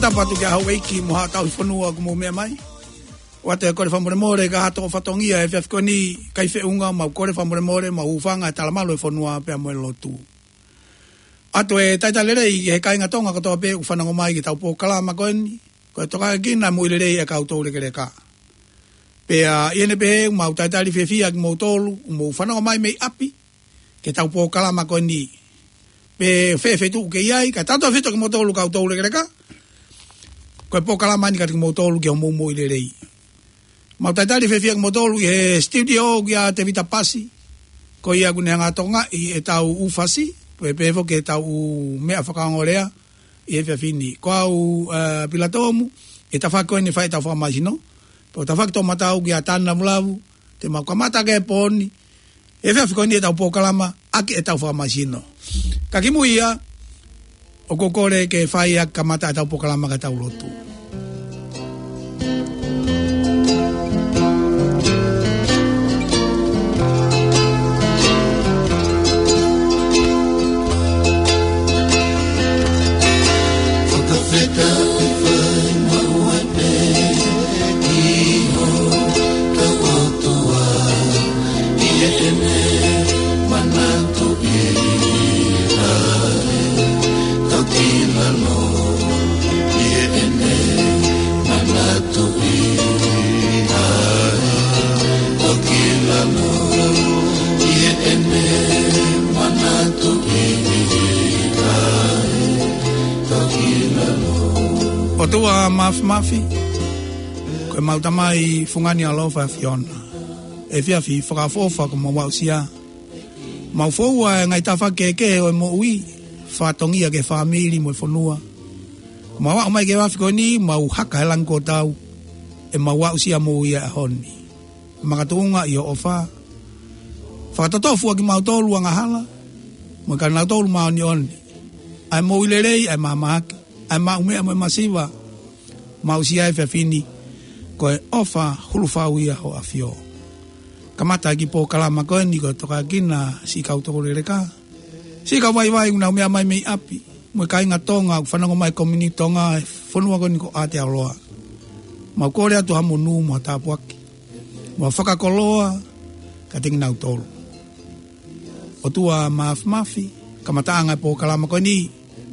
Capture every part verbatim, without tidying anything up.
Tapu atu ki he houʻeiki mo haʻa tauhi fonua ʻoku mou meʻa mai. ʻOatu e kole fakamolemole ki he toʻu fatongia he efiafi ko eni, ʻikai feʻunga, mau kole fakamolemole, mau hūfanga he talamalu e fonua pea mo e lotu. ʻOatu e talitali lelei ki he kāinga Tonga kotoa pē ʻoku fanongo mai ki heʻetau polokalama ko eni, ko e Tokanga ki he Moʻui Lelei ʻa e Kau Toulekeleka. Pea ʻi heʻene pehē, mau talitali fiefia kimoutolu ʻoku mou fanongo mai mei ʻapi ki heʻetau polokalama ko eni. Pe ʻi fē feituʻu ʻoku ke ʻi ai, kae tautefito kimoutolu Kau Toulekeleka. Ko e polokalama eni kiate kimoutolu ki hoʻomou moʻui lelei. Mau talitali fiefia kimoutolu ʻi he studio ʻoku ʻia Tevita Pasi, ko ia ʻoku ne hanga ʻo tokangaʻi ʻetau ʻū fasi, pea pehē foki ki heʻetau ʻū meʻa fakaongo lea ʻi he efiafi ni. Ko au, ē, Pilatomu, ʻi he tafaʻaki ko eni ʻo e fai ʻetau fakamāsino. Pea ko e tafaʻaki toʻomataʻu ʻoku ʻia Tana Vulavu, te mau kamata ʻaki e pō ni, he efiafi ko eni ʻetau polokalama ʻaki ʻetau fakamāsino. Ka kimuʻa ia, ʻoku ou kole ke fai ʻa e kamata ʻetau polokalama kae tau lotu. Fakafetaʻi fai maʻu ai pē ki hotau ʻOtua, ʻi heʻene manatuʻi ʻa e tau kila loa, ʻi heʻene manatuʻi ʻa e tau kila loa, ʻi heʻene manatuʻi ʻa e tau kila loa. ʻOtua Māfimafi, ko ʻemau Tamai fungani ʻaloʻofa ʻa e ʻAfiona. ʻI he efiafi fakaʻofoʻofa kuo mau aʻusia, mau foua e ngaahi tafaʻaki kehekehe ʻo e moʻui, fatongia ki he fāmili mo e fonua. Mau aʻu mai ki he efiafi ko eni, mau haka he langi kuo tau, ʻemau aʻusia moʻui ʻa e ʻaho ni. Makatuʻunga ʻi ho ʻofa, fakatotofu ʻa kimautolu angahala mo e kau nautolu māʻoniʻoni, ʻa e moʻui lelei, ʻa e mahamahaki, ʻa e maʻumeʻa mo e masiva, mau aʻusia he efiafi ni, ko e ʻofa hulu fau ia ʻa ho ʻAfio. Kamata ʻaki e polokalama ko eni ko e Tokanga ki he Siʻi Kau Toulekeleka, siʻi kau vaivai ʻoku nau meʻa mai mei ʻapi, mo e kāinga Tonga ʻoku fanongo mai, komiunitī Tonga he fonua ko eni ko Aotearoa. Mau kole atu ha monū mo ha tāpuaki, mo ha fakakoloa kiate kinautolu. ʻOtua Māfimafi, kamataʻanga e polokalama ko eni,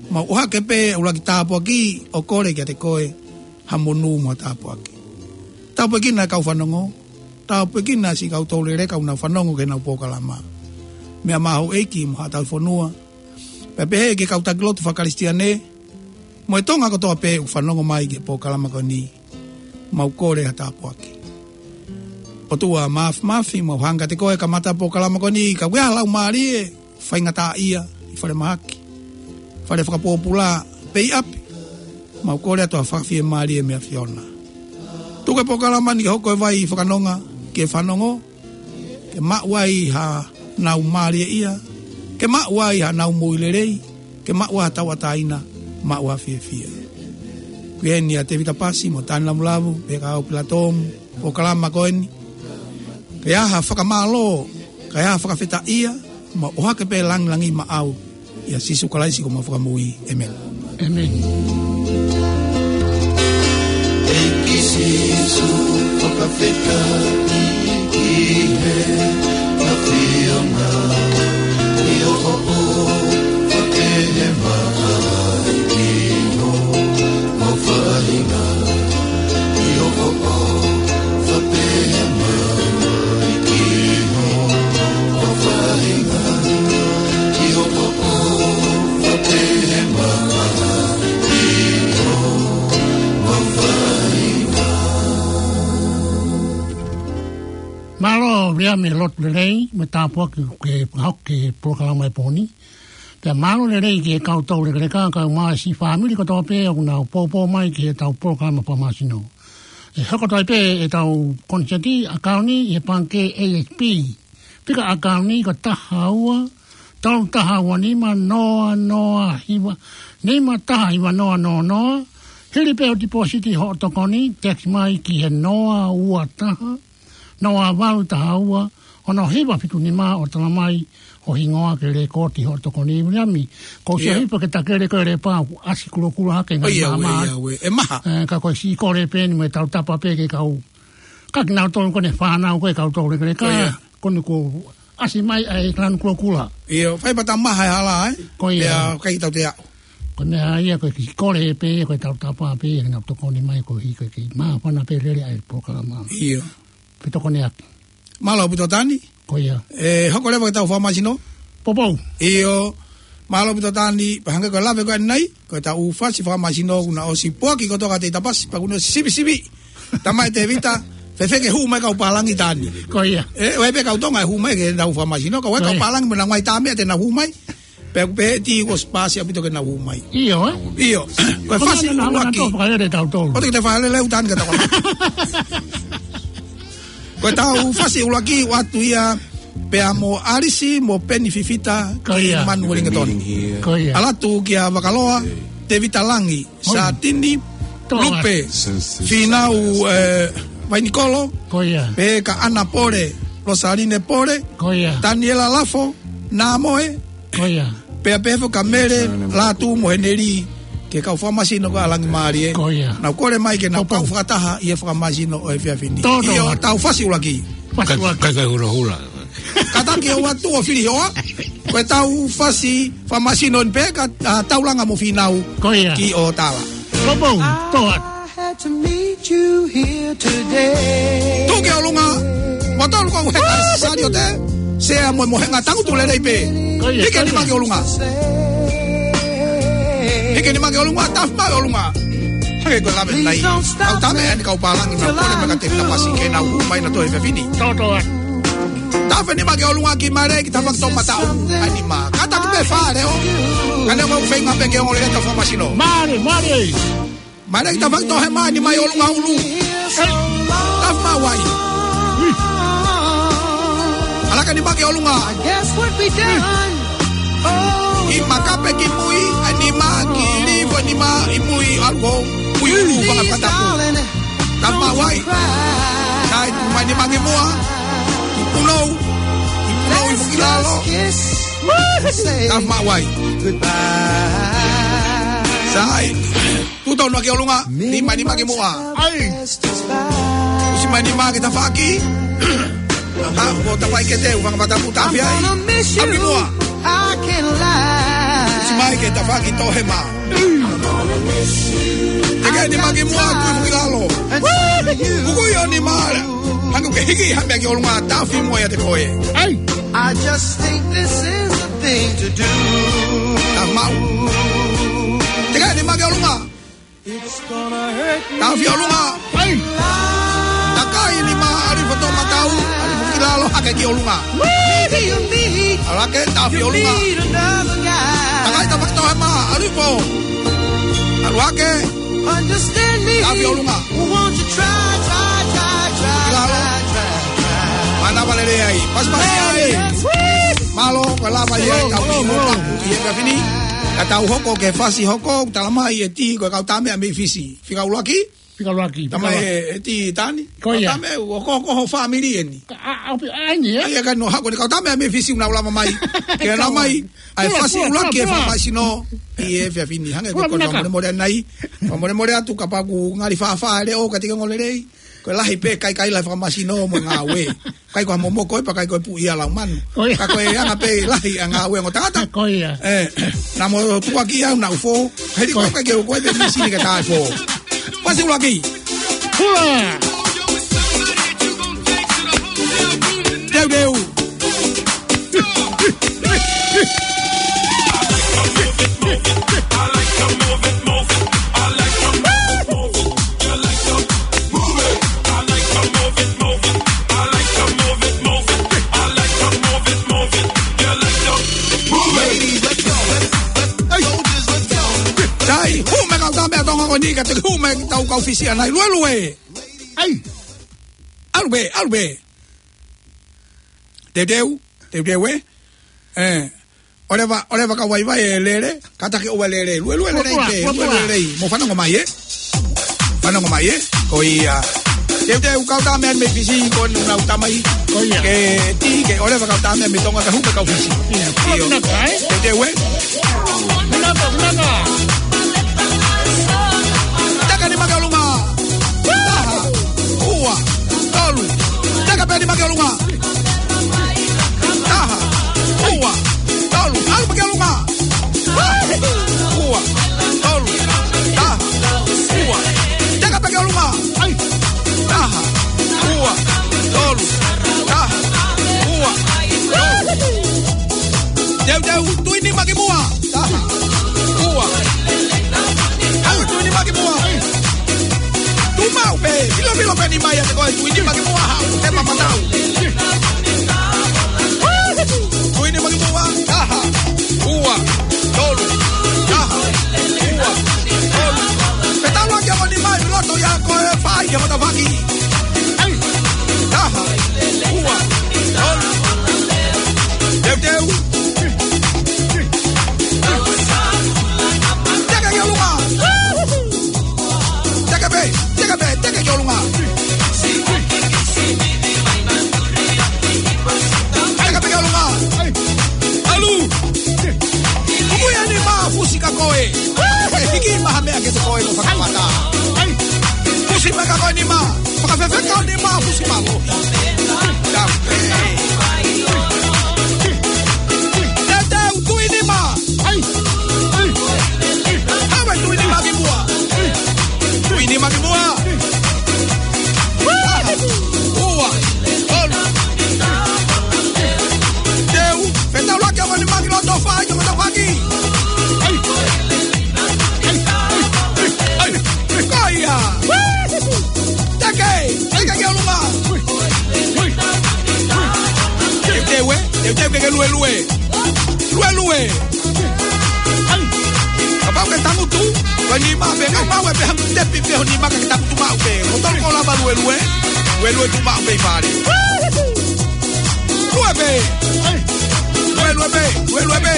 mau ʻohake pē ʻuluaki tāpuaki ʻo kole kiate koe ha monū mo ha tāpuaki. Tāpuekina e kau fanongo, tāpuekina siʻi Kau Toulekeleka ʻoku nau fanongo ki heʻenau polokalama. Meʻa mai houʻeiki mo haʻa tauhi fonua, pea pehē ki he kau taki lotu fakakalisitiane, mo e Tonga kotoa pē ʻoku fanongo mai ki he polokalama ko eni, mau kole ha tāpuaki. ʻOtua Māfimafi, mau hanga kiate koe kamata e polokalama ko eni, ka ʻoku ʻi ai ha laumālie faingataʻaʻia ʻi falemahaki, fale fakapōpula, pe ʻi ʻapi, mau kole atu ha fakafiemālie mei he ʻAfiona. Tuku e polokalama ni ke hoko ko e vai fakanonga ki he fanongo, ke maʻu ai haʻanau mālieʻia, ke maʻu ai haʻanau moʻui lelei, ke maʻu ai ha tauʻatāina, maʻu ai ha fiefia. Ko eni ʻa Tevita Pasi mo Tana Vulavu, pea ko au Pilatomu, polokalama ko eni. Ke ʻi ai ha fakamālō, ke ʻi ai ha fakafetaʻia, mau ʻohake pē langilangi maʻau, ʻia Sīsū Kalaisi ko homau Fakamoʻui. ʻĒmeni. ʻĒmeni. ʻEiki Sīsū, fakafetaʻi ki he ʻAfiona, ʻi hoʻo ʻofa pehē mai ki homau faʻahinga, ʻi hoʻo ʻofa pehē mai ki homau faʻahinga, ʻi hoʻo ʻofa pehē mai ki homau faʻahinga. Mālō Viliami he lotu lelei mo e tāpuaki kuo ke fakahoko ki he polokalama he pō ni. Pea mālō lelei ki he Kau Toulekeleka, kae ʻumaʻā siʻi fāmili kotoa pē ʻoku nau poupou mai ki heʻetau polokalama fakamāsino. ʻE hoko atu ai pē ʻetau koniseti ʻakauni ʻi he pangikē A S B. Fika ʻakauni ko taha ua, tolu taha ua nima, noa noa hiva, nima taha hiva noa noa noa. Hili pē hoʻo tipōsiti hoʻo tokoni, text mai ki he noa ua taha, noa valu taha ua, Ono hiva fitu nima ʻo talamai ho hingoa ke lēkooti hoʻo tokoni Viliami. Ko ʻeku sio ʻIo. Hiva ke takele ko e lēpā ʻoku ʻasi kulokula hake ʻOi, ngaahi ia, ue, maama. Ia, ue. ʻE maha. Ē, ka ko e siʻi kole pē eni mo e tautapa pē ki he kau. Ka kinautolu ko ʻene fānau ko e kau tau lekeleka. ʻOi, ia. Ko eni kuo ʻasi mai ʻa e lanu kulokula. ʻIo, fai pē ta maha e hala, ē? Ko ia. Pea ʻikai tau te aʻu. Ko e meʻa ia ko e kiʻi kole pē, ko e tautapa pē, ʻe nau tokoni mai ko hi ko e kiʻi māfana pē lele ʻa e polokalama. ʻIo. Pe tokoni ake. Mālō ʻaupito Tani. Ko ia. ʻE, hoko leva ki heʻetau fakamasino. Poupou. ʻIo. Mālō ʻaupito Tani, pea hangē ko e lave ko eni, ko ʻetau fasi fakamasino, kuo na ʻosi poaki kotoa ka te tapasi, pea kuo na ʻosi sivisivi. Tamai Tevita, fēfē ke hū mai kau pālangi Tani. Ko ia. ʻE, ʻoku ʻi ai pē kau Tonga ʻe hū mai ki heʻetau fakamasino, ka ʻoku ʻi ai kau Ko ia. pālangi mo e ngaahi tame ʻa te na hū mai. Pea ʻoku pehē ʻe ʻi ai ʻosi pasi ʻaupito ke na hū mai. ʻIo, ē? ʻIo. Ko e Ko fasi na na ʻuluaki. Tō fakalele tautolu. ʻOku te fakalele ʻo Tani ka tau. Ko ʻetau fasi ʻuluaki ʻoatu ia pea mo ʻAlisi mo Peni Fifita Ko ia. Manu Uelingetoni. Ko ia. ʻAlu atu kia Vakaloa, Tevita Langi, Hoi. Satini, Toa. Lupe, Fīnau, ē, Vainikolo, Ko ia. Pea ka ʻAna Pole, Losaline Pole, Ko ia. Taniela Lafo, Namoe, Ko ia. Pea pehē foki kia Mele, Latu mo Heneli, ki he kau fakamasino ko ē ʻa Langimālie. Ko ia. Nau kole mai ke nau Poupou. Kau fakataha ʻi he fakamasino ʻo e efiafi ni. Tō, tō. ʻIo, ʻetau fasi ʻuluaki. Fasi ʻuluaki. Kai, kai, kai hulahula. Kātaki ʻoatu ʻo fili hoa. Ko ʻetau fasi fakamasino ni pē ka, ʻa, Taulanga mo Fīnau Ko ia. Ki ʻo tala. Poupou, tō atu. I had to meet you here today. Tuʻu ki ʻolunga. Mo tolu ko e he kai sali o te. Sea mo e mohenga tangutu lelei pē. Ko ia, Hiki ko ia. Nima ki ʻolunga. Hiki nima ki ʻolunga, tafi mai ʻolunga. Hangē ko e lave nai. Please don't stop Kau tame me ʻa e kau pālangi na till kole mai ka te I'm tapasi through. Ke nau hū mai na toe fefini. Tō, tō atu. Tafe nima ki ʻolunga ki Male ki tafaki tō mataʻu. Ai nima. Kātaki pē fale ʻo. Ka ne ko feinga pē ke ongoʻi ʻetau fakamasino. Male, male. Male ki tafaki tō hema nima ʻi ʻolunga ʻulu. Tafe mai ai. ʻAlaka nima ki ʻolunga. I guess what we done. ʻI makape ki mui, ʻa nima ki livo nima ʻi mui ʻalu ʻo. Mui ʻulu, Please, vaka fatapu. Darling, Tafe mai ai. Tae mai nima ki muʻa. Ki punou. Ki punou ʻi fuki lalo. Tafe mai ai. Sai. Tuʻu tonu ki ʻolunga. Nima nima ki muʻa. ʻUsi mai nima ki tafaki. Ha, ko tapai ke te uvanga matapu tafe ai. ʻApi muʻa. ʻUsi mai ke tafaki tō hema. Teke nima ki muʻa, tuʻu ki lalo. Kuku ʻio nima. Hangē ke hiki ha meʻa ki ʻolunga tafe muʻa ia te koe. I just think this is the thing to do. Tafe mai. Teke nima ki ʻolunga. Tafe ʻolunga. Takai nima ʻalu ʻo tō mataʻu. ʻAlu ki lalo hake ki ʻolunga. ʻAlake tafe ʻolunga. Takai tafaki tō hema. ʻAlu ʻo. ʻAlu hake. Tafe ʻolunga. Lalo. Mana valele ai. Pasi pasi ai. Mālō, ko e lava ia ʻetau ʻi he efiafi ni. Ka tau hoko ki he fasi hoko, talamai ʻe Tī ko e kau tame ʻa mei Fisi. Fika ʻuluaki? Fika ʻuluaki, Tamai fika ʻuluaki. ʻE, ʻe Tī Tani. Ko ia. Kau tame, ʻoku ko, ko ho fāmili eni. Ka, ʻa, ʻa, ʻa, eni, ē? ʻA ia ka noho ko eni kau tame ʻa mei Fisi ʻoku nau lava mai. Ke na mai, ʻa e fasi ʻuluaki e fakamasino. ʻI he efiafi ni, hangē ko e kona fakamolemole ʻanai. Fakamolemole atu kapau ʻoku ngali fāfā e leʻo ka tika ngolelei. Ko e lahi pē kaikaila fakamasino mo e ngāue. Kai ko ha momoko ē pea kai ko e puʻi ʻa e lau manu. Ko ia. Ka ko e anga pē lahi ʻa e ngāue ʻa e ongo tangata. Ko ia. Ē, naʻa mo tukuakiʻi au naʻa ku fō. Heli ko ia. Ko e kai ke u ko e pē misini ka taʻe fō. Fasi ʻuluaki. Hula. Teuteu. Sai, hū mai kau tame ʻa Tonga ko eni ka te hū mai ki tau kau Fisi ʻanai. Luelue. ʻAi. ʻAlu pē, ʻalu pē. Teuteu, teuteu ē. Ē. ʻOleva, ʻoleva ka vaivai e lele, kātaki ʻoua lele. Luelue lelei pē, luelue lelei. Mo fanongo mai ē. Fanongo mai ē. Ko ia. Teuteu, kau tā meʻa mei Fisi, ko ʻenau tamai. Ko ia. Ke tī, ke ʻoleva kau tā meʻa mei Tonga, ke hū pē kau Fisi. Ia, ko ʻio. Vinaka, ē? Teuteu, ē? Vinaka, vinaka. Teke nima ki ʻolunga. Taha, ua, tolu. Teke pē nima ki ʻolunga. Taha, ua, tolu. ʻAlu pē ki ʻolunga. Ua, tolu, taha, ua. Teke pē ki ʻolunga. ʻAi. Taha, ua, tolu, taha, ua, tolu. Teuteu, tui nima ki muʻa. Taha, ua. Haʻu, tui nima ki muʻa. Tuʻu maʻu pē, filofilo pē nima ia te koe, tui nima ki muʻa, haʻu, te mamatau. Tui nima ki muʻa, taha, ua, tolu, taha, ua, tolu. Pea tau laki ʻo nima ʻi loto ia ko e fai ia matavaki. ʻAi. Taha, ua, tolu. Teuteu. Teke ki ʻolunga. Teke pē, teke pē, teke ki ʻolunga. Teke pē ki ʻolunga. ʻAlu. Kuku ia nima, fusi ka koe. Hiki maha meʻa ke te koe no fakamata. Fusi mai ka koe nima. Fakafefeka ʻo nima, fusi mālohi. Teuteu, tui nima. ʻAi. ʻAi. Haʻu e tui nima ki muʻa. Tui nima ki muʻa. Ua. Tolu. Teu. Fetaulaki ʻo nima ki loto, fai ki matavaki. ʻAi. ʻAi. ʻAi. Ko ia. Teke, teke ki ʻolunga. Teuteu, ē? Teuteu ke ke luelue. Luelue. Kapau ke tangutu, ko e nima pē, ngau maʻu pē hangē tepi pē ho nima ke tangutu maʻu pē. Ko tolu ko lava luelue. Luelue tuʻu maʻu pē ʻi fale. Lue pē. Lue, lue pē. Lue, lue pē.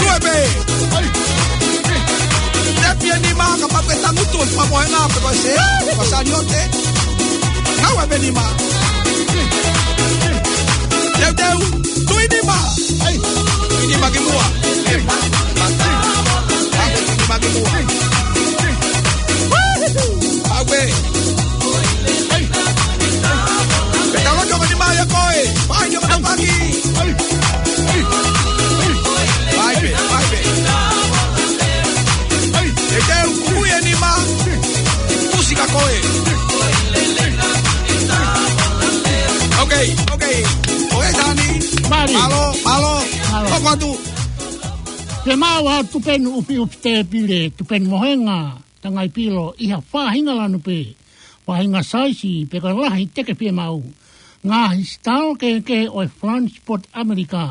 Lue pē. Tepi e nima kapau ke tangutu, ʻo fakamohenga pē ko e se, ko e saliote. Ngāue pē nima. Teuteu, tui nima. Tui nima ki muʻa. Tui nima ki muʻa. ʻAue. Pea tau laki ʻo nima ia koe. Fai ki matavaki. Fai pē, fai pē. Teuteu, kuku ia nima. Fusi ka koe. Ok, ok. Ok, Tani. Mālie. Mālō, mālō. Mālō. Hoko atu. Fiemaʻu ha tupenu ʻufiʻufi tēpile, tupenu mohenga, tangai pilo, ʻi ha faʻahinga lanu pē, faʻahinga saisi, pe ko e lahi teke fiemaʻu. Ngaahi sitalo kehekehe ʻo e Flying Spot ʻAmelika,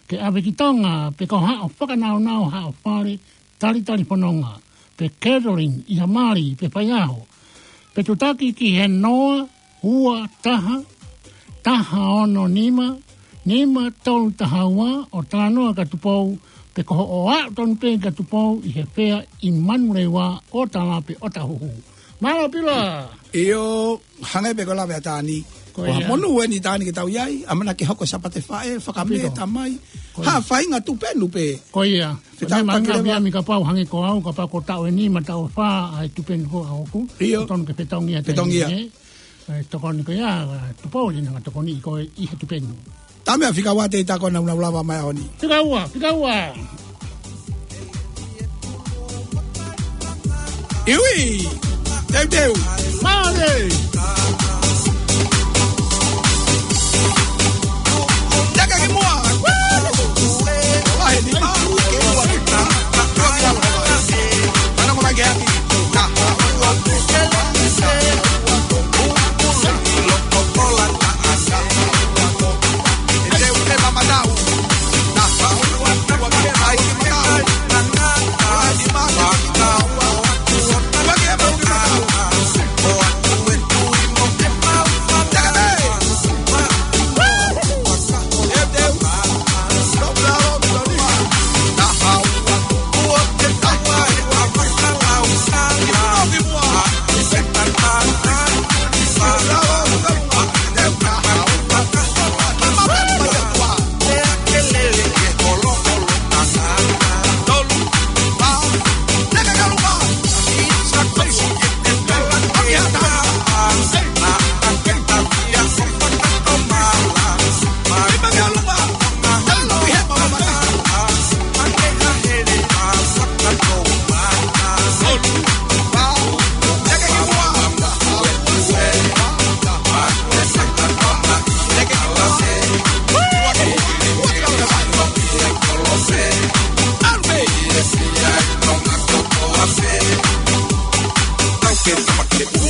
ke ʻave ki Tonga, pe ko haʻo fakanaunau, haʻo fale, talitali fononga, pe catering ʻi ha mali, pe faiʻaho. Pe tutaki ki he noa, ua, taha, taha, ono, nima, nima, tolu, taha, ua, ʻo talanoa kia Tupou, pe ko hoʻo aʻu tonu pē kia Tupou ʻi he fea ʻi Manurewa, ʻo tala pe ʻo tahuhu. Mālō Pila. ʻIo, hangē pē ko e lave ʻa Tani. Ko ia. Ko ha monū eni Tani ke tau ʻi ai, ʻamanaki ke hoko Sāpate Faʻē, fakamē, ʻio, tamai. Ko ia. Ha faʻahinga tupenu pē. Ko ia. Fetaulaki leva. Mami kapau hangē ko au, kapau ko e taʻu ʻe nima, taʻu ʻe fā, ʻa e tupenu ko ʻaʻaku. ʻIo. Tonu ke fetongi ʻa Tani, fetongi ia. Ē? ʻE tokoni ko ia, Tupou, ʻi he ngaahi tokoni ko ē ʻi he tupenu. Tame a fika ua te i tako na una ulava mai oni. Fika ua, fika ua. Iwi, teuteu. Mālie. Teke ki muʻa. Lahi nima, ke ua ki muʻa. Ua ki alo. Mana mo mai ke aki.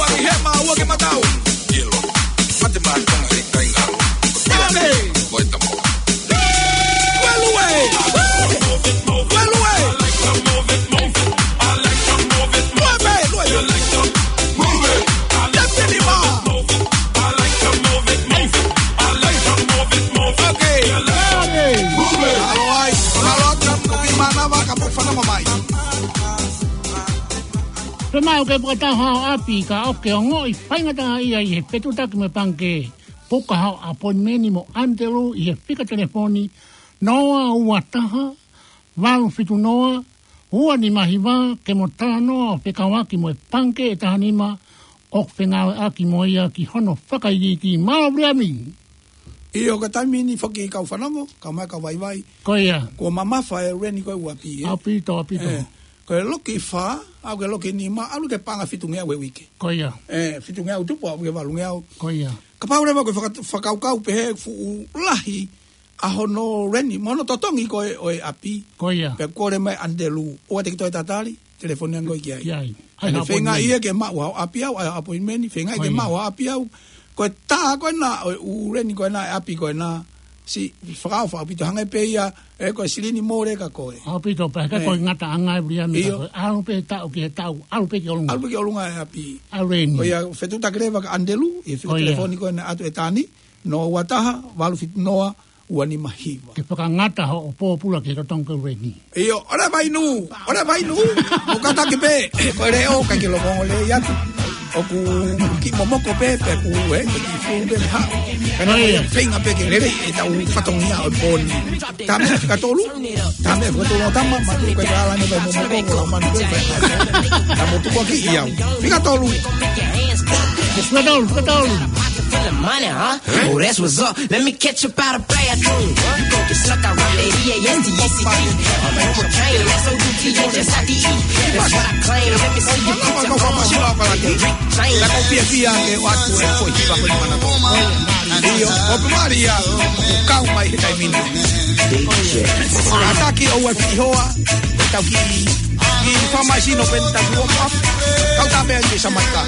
Paki hema ua ke matau. Mate mai Tonga he kai ngalo. Ave. Vai tamo. Ue lue. Ue lue. Lue pē, lue pē. Tepili ma. Okay. Ave. Alo ai. Alo atu, ko ki manava ka po fanongo mai. Pea mau ke fakataha ʻo ʻapi ka ʻoku ke ongoʻi faingataʻaʻia ʻi he fetuʻutaki mo e pangikē. Puka haʻo appointment mo ʻAnitelū ʻi he fika telefoni noa ua taha, valu fitu noa, ua nima hiva, ke mo talanoa ʻo fekauʻaki mo e pangikē ʻe taha nima ʻoku fengāueʻaki mo ia ki hono fakaikiiki. Mālō Viliami. ʻIo, ko e taimi ni foki kau fanongo, kau mai kau vaivai. Ko ia. Kuo mamafa e rent ko ē ʻa e ʻapi, ē? ʻAupito, ʻaupito. Ē, ko e loki fā, ʻalu ki he loki nima, ʻalu ki he paʻanga fitungeau he uike. Ko ia. Ē, fitungeau tupu, ʻalu ki he valungeau. Ko ia. Kapau leva ko e faka-, fakakaukau pehē fuʻu lahi ʻa hono rent, mo hono totongi ko ē ʻo e ʻapi. Ko ia. Pea kole mai ʻAnitelū, ʻoua te ke toe tatali, telefoni ange koe ki ai. Ki ai. ʻAi ha appointment. Feinga ia ke maʻu haʻo ʻapi au, ʻai ha appointment, feinga ia ke maʻu haʻo ʻapi au. Ko ia. Ko e tā ko ena ʻo e ʻū rent ko ena, e ʻapi ko ena, siʻi fakaʻofa ʻaupito, hangē pē ia, ē, ko e silini mole ka ko ē. ʻAupito pē, ka ko e ngataʻanga ē Viliami ka ko ē. ʻIo. ʻAlu pē taʻu ki he taʻu, ʻalu pē ki ʻolunga. ʻAlu pē ki ʻolunga e ʻapi. ʻAlu ē ni. Ko ia, fetuʻutaki leva kia ʻAnitelū, ʻi he fika telefoni ko ena atu ʻe taha nima, noa ua taha, valu fitu noa, ua nima hiva. Ke fakangata hoʻo pōpula ki he totongi ko ē ʻa e rent. ʻIo, ʻoua vainu, ʻoua vainu. Mo kātaki pē, ko e leʻo, ʻikai ke loko ongo lelei atu. ʻOku kiʻi momoko pē, pea ʻoku, ē, kiʻi fū pē ha. Ka naʻe feinga pē ke lelei ʻetau fatongia ʻo e pō ni. Taha meʻa fika tolu, taha meʻa fika tolu ʻo tama, ma tu ke kala ni pē momoko, ko la manu pē pē. Ka mo tuku ki ʻiau. Fika tolu. Fika tolu, fika tolu. Full of money, huh? Oh, that's what's up. Let me catch you by the bathroom. You broke it, snuck out right there, E A S T E C T. I'm on cocaine, S O U T H S I D E. That's what I claim. Let me see you put your arms up. Rick James. La ko pia pia ke watu e ko hiva ko ni mana ko. ʻIo, ʻoku mali ia, ʻoku kau mai he taimi ni. Kātaki ʻoua fihoa, tau ki, ki famaisino pē tau ua pa. Kau tā pē ange sa mai ka.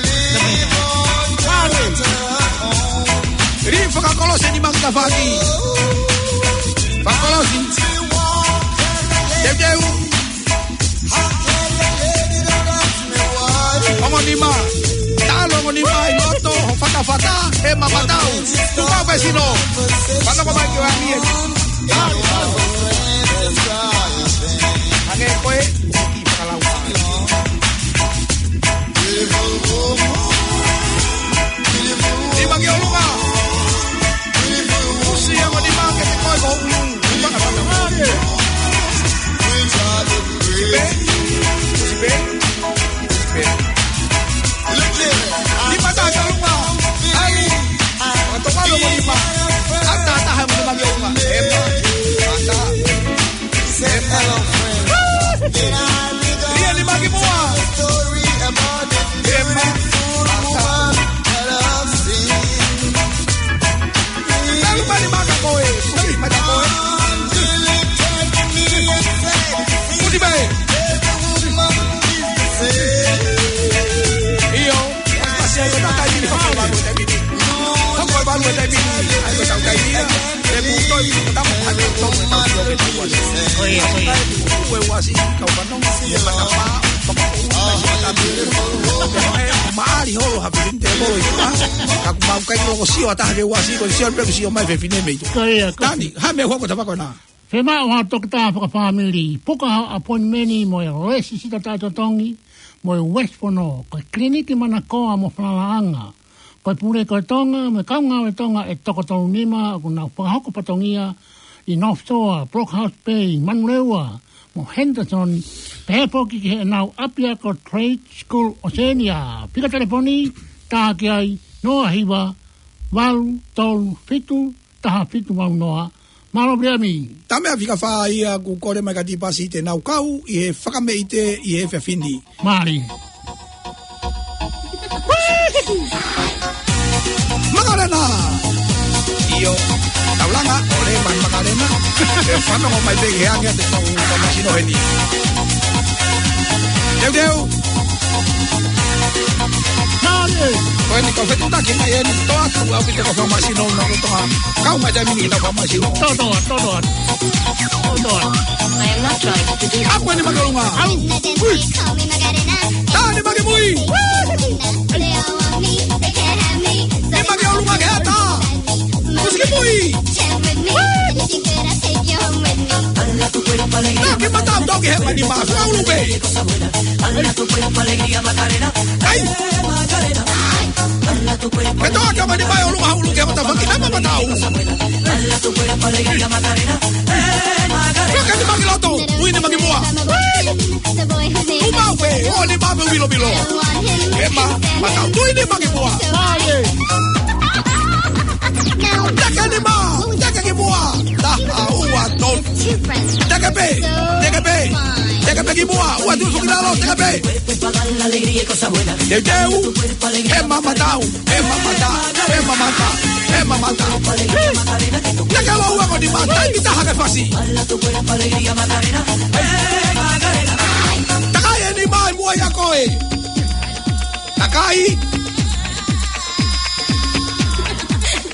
Ri fakakolosi ni mangka faki. Fakakolosi. Teuteu. Ongo nima. Talo ongo nima ʻi loto, ho fatafata, ʻe mamatau. Tuka pē sino. Fanongo mai ki ʻAnitelū. Hangē ko e. Nima ki ʻolunga. Usi ango nima ke te koe ko ulu. Sipe. Sipe. Sipe. Nima taha ki ʻolunga. Ai. Ata walo mo nima. Ata, ata, nima ki ʻolunga. Ema. Ata. Ia ni maki mua. Ia ma. Talu mani maka koe. Koe, maka koe. Kuti mai. ʻIo. Pasi ai ko tau taimi ni, hoko e valu e taimi ni. Hoko e valu e taimi ni. Ai ko tau taimi ni. Te mutoi, tamo, ai ko tau taimi ni. Ko ia, ko ia. Ko e uasi, kau fanongo, ia matapā, pakaʻu, maʻali holo, ha fefine te holo i tua. Ka ʻoku mau ʻikai loko sio ʻa taha ke uasi, ko e sio pe sio mai fefine mei tua. Ko ia, ko ia. Tani, ha meʻa hoko tapa ko ena. Fiemaʻu ha toketā fakafāmili, puka ha appointment mo e lēsisita taʻetotongi, mo e uesi fono, ko e kiliniki manakoa mo falalaʻanga. Ko e pule ko e Tonga, mo e kau ngāue Tonga ʻe toko tolu nima, ʻoku nau fakahoko fatongia ʻi North Shore, Brookhouse Bay, Manurewa, mo Henderson, pehē foki ki heʻenau ʻapiako Trade School Oceania. Fika telefoni, tā ki ai, noa hiva, valu, tolu, fitu, taha fitu valu noa. Mālō Viliami. Tame a fika fā ia ʻoku kole mai ka tipasi te nau kau ʻi he fakameʻite ʻi he efiafi ni. Mālō. Makalena. ʻIo. Taulanga, ʻo leva Makalena. ʻE fanongo mai pē he ange te tau fakamasino heni. Teuteu. Mālō. Ko eni ko e fetuʻutaki mai eni, toʻo atu ʻaupito ko e fakamasino ʻo Tonga. Kau mai taimi ni ki he fakamasino. Toʻo, toʻo, toʻo, toʻo. Toʻo. I am not trying to do. ʻAku eni Maki ʻOlunga. Au. Ui. Tā eni Maki Mui. Ui. Maki ʻOlunga ke ata. Kusi ki mui. Toki mata, toki he mani ma. Fakaulu pē. Ai. Ke toa ke mani mai ʻOlunga ulu ke mata faki nama mata u. Toki ni Maki loto, ui ni Maki mua. Uma upe, o ni ma me vilo vilo. Ke ma, mata u, ui ni Maki mua. Teke ni ma, teke ki mua. Taha, ua, tolu. Teke pē, teke pē, teke pē ki mua, ua, tolu, foki lalo, teke pē. Teuteu, he mamata u, he mamata, he mamata, he mamata. Teke lōua ko ni ma, taimi taha ke fasi. Takai eni ma ʻi muʻa ʻia koe. Takai.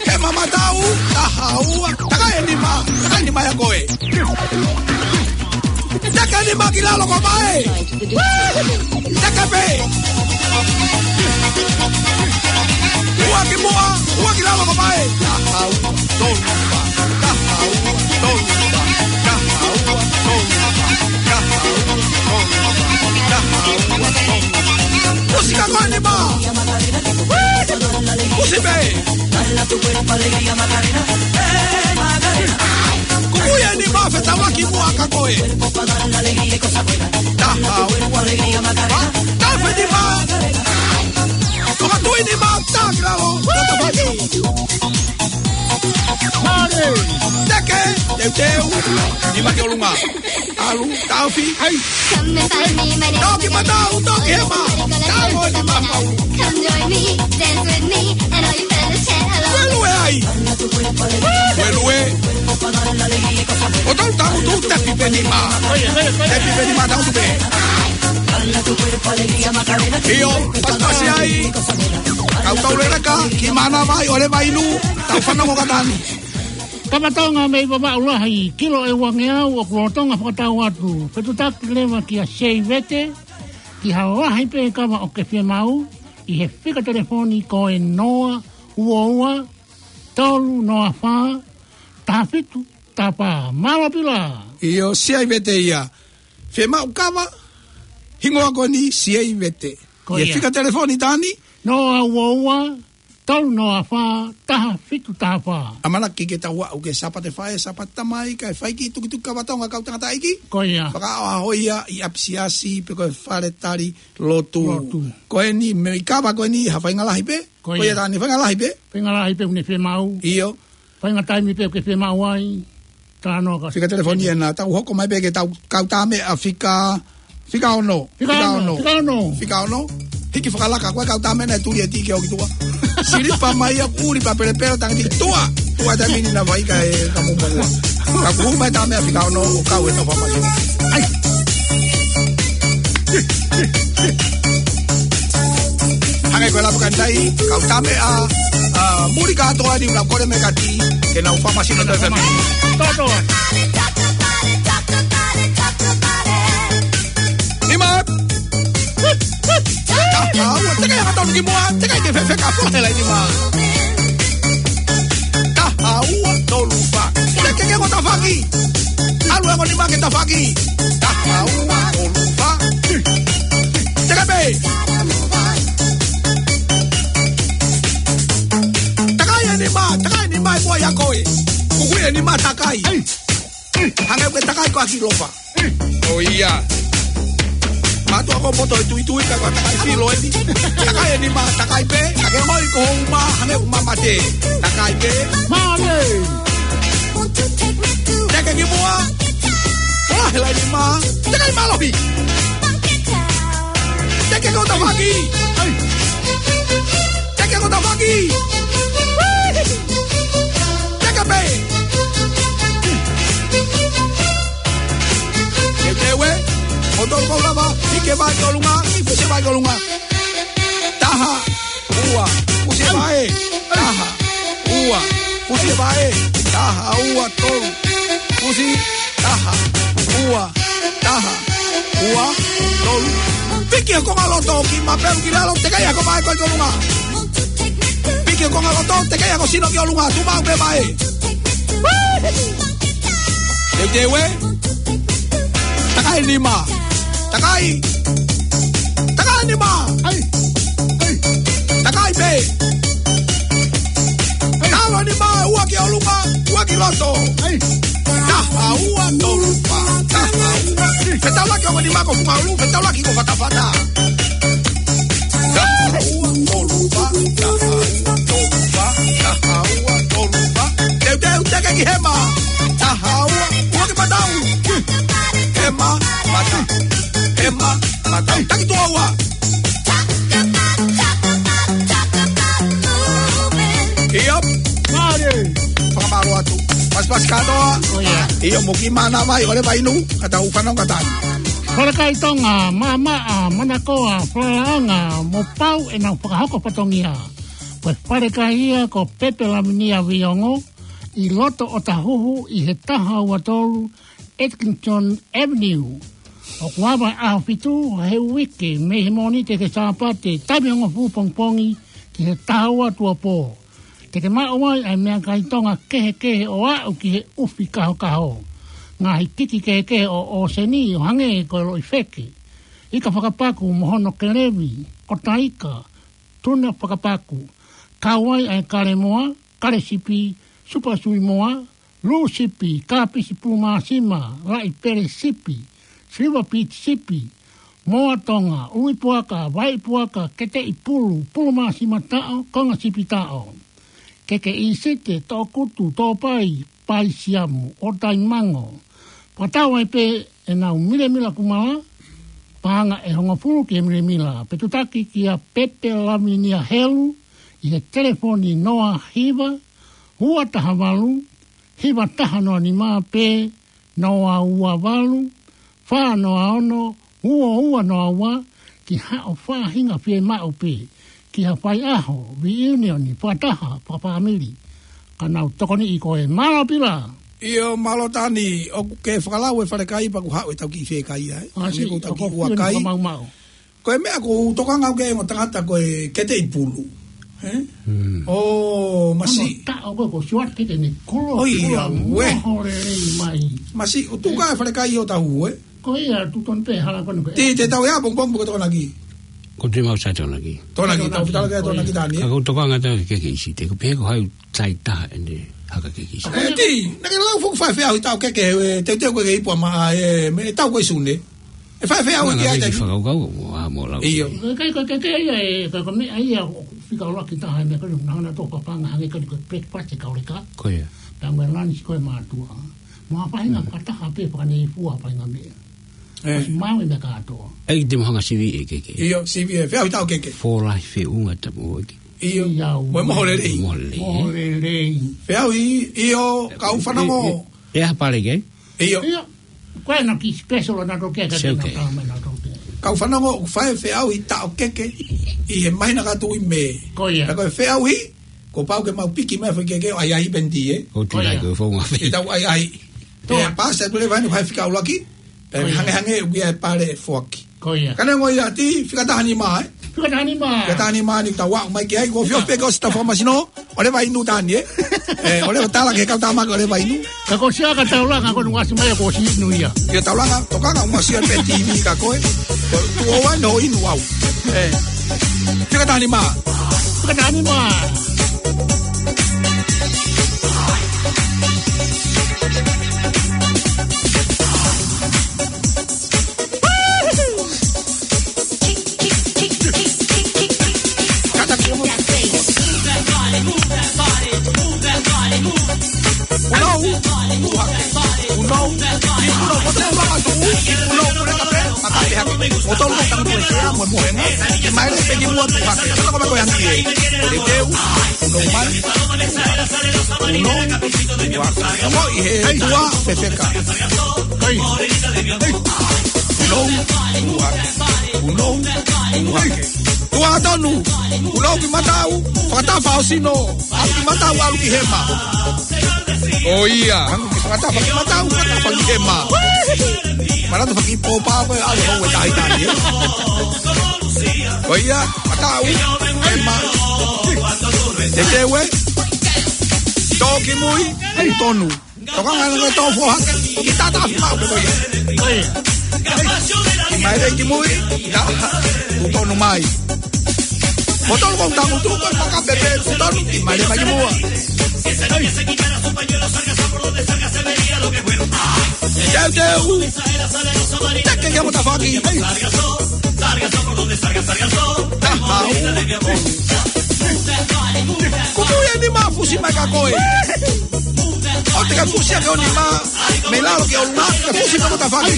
He mamata u, taha ua, takai eni ma, takai eni ma ʻia koe. Teke eni ma ki lalo ko mai. Teke pē. Ua ki mua, ua ki lalo ko mai. Taha ua, tolu, taha ua, tolu, taha ua, tolu, taha ua, tolu, taha ua, tolu. Kusi ka ko eni ma. Kusi pē. Kuku ia ni ma fetauaki muʻa ka koe. Taha, ua, tolu, fa. Tafe ni ma. Toka tui ni ma, taki lalo. Teke, teuteu, ni Maki ʻOlunga. ʻAlu, taofi. Ai. Toki mata u, toki he ma. Tau ʻo ni ma pau. Ue lue ai. Ue lue. ʻO tau tau tu tepi pē ni ma. Tepi pē ni ma tau tu pē. ʻIo, pasipasi ai. Kau tau leleka, ki mana vai, ʻo le vai nu. Tau fanongo ka tani. Kapa Tonga mei Vavaʻu Lahi, kilo ʻe uangeau ʻoku lolotonga fakatau atu. Fetuʻutaki leva kia Seivete, ki ha lahi pē kava ʻoku ke fiemaʻu, ʻi he fika telefoni ko e noa ua ua, tolu noa fā, taha fitu taha fā. Mālō Pila. ʻIo, Seivete ia. Fiemaʻu kava, hingoa ko eni Seivete. Ko ia. ʻI he fika telefoni tani? Noa ua ua, tolu noa fā, taha fitu taha fā. ʻAmanaki ke tau aʻu ki he Sāpate Faʻē, Sāpate Tamai, kae fai ki tukituki kava Tonga kau tangataʻeiki. Ko ia. Fakaʻaho ia ʻi ʻapisiasi pe ko e fale tali lotu. Lotu. Ko eni, mei kava ko eni, ha faʻahinga lahi pē. Ko ia. Ko ia tani faʻahinga lahi pē. Faʻahinga lahi pē ʻoku ne fiemaʻu. ʻIo. Faʻahinga taimi pē ʻoku ke fiemaʻu ai. Talanoa ka. Fika telefoni ena, tau hoko mai pē ke tau kau tā meʻa fika, fika ono. Fika ono, fika ono. Fika ono. Hiki fakalaka, ko e kau tā meʻa naʻe tuli e tī ke oki tuʻa. Silipa mai ia ʻuli pā pelepele tangiti tuʻa. Tuʻa taimi ni naʻe vaika e ka mumua. Ka kuhu mai tā meʻa fika ono, ʻo kau e tau pamai. Ai. Hangē ko e lapa ka nai, kau tā meʻa, ʻa, muli kātoa ni ʻoku nau kole mai ka tī, ke nau fakamasino ʻa e fēmili. Toto. Nima. Taha ua, teke ia ka tonu ki mua, teke ke fefeka pula hela nima. Taha ua, tolu fā. Teke ke ko tafaki. ʻAlu e ko nima ke tafaki. Taha ua, tolu fā. Teke pē. Takai e nima, takai e nima ʻi muʻa ʻia koe. Kuku e nima takai. Hangē ko e takai ko ʻAkilofa. ʻO ia. Mātuʻa ko poto e tuitui ka ko e takai filo eni. Takai e nima, takai pē. Hangē hoi ko houma, hangē ko mamate. Takai pē. Male. Teke ki mua. Pula hela nima. Teke mālohi. Teke ko tafaki. Ai. Teke ko tafaki. Teke pē. Ke teue. ʻO tolu kau lava. Hiki e vai ki ʻolunga. Hiki e vai ki ʻolunga. Taha. Ua. Kusi e vaʻe, taha, ua, tolu. Kusi, taha, ua, taha, ua, tolu. Piki e konga loto ki mapelu ki lalo, tekeʻi ʻa e vaʻe ko ē ki ʻolunga. Piki e konga loto, tekeʻi ʻa e sino ki ʻolunga, tuʻu maʻu pē vaʻe. Teuteu ē. Takai nima. Takai. Takai nima. ʻAi. ʻAi. Takai pē. ʻAi. Talo nima, ua ki ʻolunga, ua ki loto. ʻAi. Taha, ua, tolu, fā, taha, ua. Fetaulaki ongo nima ko funga ʻulu, fetaulaki ko fatafata. Taha, ua, tolu, fā, taha, ua, tolu, fā, taha, ua, tolu, fā. Teuteu, teke ki hema. Taha, ua, ua ki matau. Hema, mata. Hema, mata. Taki tuʻo ua. ʻIo. Mālie. Fakamālō atu. Pasipasi kātoa. ʻIo, mou kiʻi mānava ʻi ʻoleva inu. Ka tau fanongo atu. Falekai Tonga, Maʻamaʻa, Manakoa, Falalaʻanga, mo pau ʻenau fakahoko fatongia. Ko e falekai ia ko Pepe Laminia Viongo, ʻi loto ʻOtahuhu ʻi he taha ua tolu Edgington Avenue. ʻOku ava ʻaho fitu he uike mei he Mōnite ki he Sāpate, taimi hongofulu pongipongi ki he taha ua tuʻuapō. Te ke maʻu ai ʻa e meʻakai Tonga kehekehe ʻo aʻu ki he ʻufi kahokaho. Ngaahi kiki kehekehe ʻo ʻōseni ʻo hangē ko e loʻi feke, ika fakapaku mo hono kelevi, ʻota ika, tuna fakapaku. Kau ai ʻa e kale moa, kale sipi, supa sui moa, lū sipi, kāpisi pulu māsima, laʻi pele sipi, siliva piti sipi, moa Tonga, ʻului puaka, vai puaka, keteʻi pulu, pulu māsima taʻo, konga sipi taʻo. Keke ʻīsite, toʻokutu, tōpai, pai siamu, ʻotai mango. Fakatau ai pē ʻenau milemila kumala, paʻanga ʻe hongofulu ki he milemila. Pe tutaki kia Pepe Laminia Helu, ʻi he telefoni noa hiva, ua taha valu, hiva taha noa nima pe noa ua valu, fā noa ono, ua ua noa ua, ki haʻo faʻahinga fiemaʻu pē, ki ha faiʻaho, reunion, fakataha, fakafāmili, ka nau tokoniʻi koe. Mālō Pila. ʻIo, mālō Tani, ʻoku ke fakalau e falekai pea ʻoku haʻu e tau kiʻi fekai ai. ʻA, ʻanai ko e tau kiʻi ua kai. Ko e meʻa ʻoku ou tokanga au ki he ongo tangata ko e keteʻi pulu. Ē? ʻO masi. Ano taʻo ko e ko siwat ke te ne kolo, ʻoi, kolo, ʻauē. Moho lelei mai. Masi, ʻo tuka e falekai ʻo Tahu, ē? Ko ia, tu ton pe hala ko ne ko e. Te, te tau ia, pongipongi ko Tokonaki. Ko te mau sa Tokonaki. Tokonaki, tau fitala ke Tokonaki Tani, ē? Ka ko tokanga tau ke ke ʻīsite, ko pē ko hai tai taha ʻene haka ke ke ʻīsite. Ē, ti, naʻa ke lau foki fai feʻauhi taʻo keke, ē, teuteu ko e ke ipu ama, ē, mei he taʻu ko ē Sune. ʻE fai feʻauhi ki ai taimi. Fakakaukau, ʻo, ʻa, mo lau. ʻIo. Ko e, ko e, ko e, ko e, ko e, ko e meʻa ia ʻoku fika ʻo laki taha e meʻa ko eni, naʻa na tō papanga hangē ko e breakfast e kau leka. Ko ia. Pea mo e lunch ko e mātuʻa. Mo ha faʻahinga fakataha pē fakaneifua faʻahinga meʻa. Ē. Masi mau e meʻa kātoa. ʻEiki te mo hanga sivi ʻe keke. ʻIo, sivi ē, feʻauhi taʻo keke. Fōlahi feʻunga tapu ʻoki. ʻIo. ʻIo. Mo e moho lelei. Moho lelei. Moho lelei. Feʻauhi, ʻio, kau fanongo. ʻE, ʻe, ʻe ha pale ke? ʻIo. ʻIo. Ko e na ki special na to ke, ke na tama na to ke. Kau fanongo, ʻoku fai feʻauhi taʻo keke ʻi he māhina ko ē ʻi Mē. Ko ia. Ka ko e feʻauhi, kuo pau ke mau piki mai foʻi keke ʻo ʻai ʻai pē ʻeni, ē? Ko tu lai ko e founga fei. Ke tau ʻai ʻai. Tō. Ē, pasi atu leva ʻeni, fai fika ʻuluaki. Pea hangehangē ʻoku ʻi ai e pale ʻe foaki. Ko ia. Ka neongo ia ti, fika taha nima, ē? Fika taha nima. Fika taha nima ni tau aʻu mai ki ai, ko fio pē ko si ta fakamasino, ʻoleva inu Tani, ē? Ē, ʻoleva tala ke kau tama ke ʻoleva inu. Ka ko sia ka taulanga ko nunga si mai ko si inu ia. Ia taulanga, tokanga ʻumasia pē T V ka ko ē. Ko tu o wan ho inu au. Ē. Fika taha nima. Fika taha nima. Mo i he tua fefeka. Kai. Kai. Punou, punou, punou hake. Tuʻa tonu, punou ki mataʻu, fakatafa ʻo sino, ʻalu ki mataʻu, ʻalu ki hema. ʻO ia, hangē ko e fakatafa ki mataʻu, fakatafa ki hema. Manatu faki pōpā ko e ʻalu hou e tahi tahi, ē. ʻO ia, mataʻu, hema. Teuteu ē. Tō ki mui, ʻai tonu. Tokanga ʻana ko e tō foha, ki tata afi mau ko ia. ʻOi. Ki mai leva ki mui, ia, tuʻu tonu mai. Mo tonu ko e tangutu, ko e paka pepe, tuʻu tonu, ki mai leva mai ki muʻa. Teuteu. Teke ki he motafaki. Taha, ua. Kuku ia ni ma fusi mai ka koe. ʻOua te ke fusi ake ʻo nima mei lalo ki ʻolunga, ke fusi ka motafaki.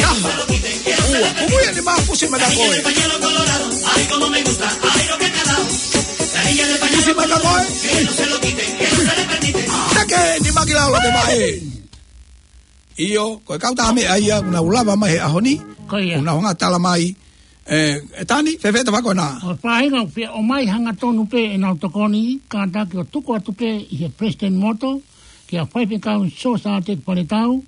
Taha, ua, kuku ia ni ma fusi mai ka koe. Fusi mai ka koe. Teke nima ki lalo ke maʻe. ʻIo, ko e kau tā meʻa ia, kuo nau lava mai he ʻaho ni. Ko ia. Kuo nau hanga tala mai. ʻE, ʻe Tani, fēfē tafako na? ʻO e faʻahinga ʻoku fie ʻomai hangatonu pē ʻenau tokoni, kātaki ʻo tuku atu pē ʻi he Palesiteni Moto, kia Faifekau Sosāteki Paletau,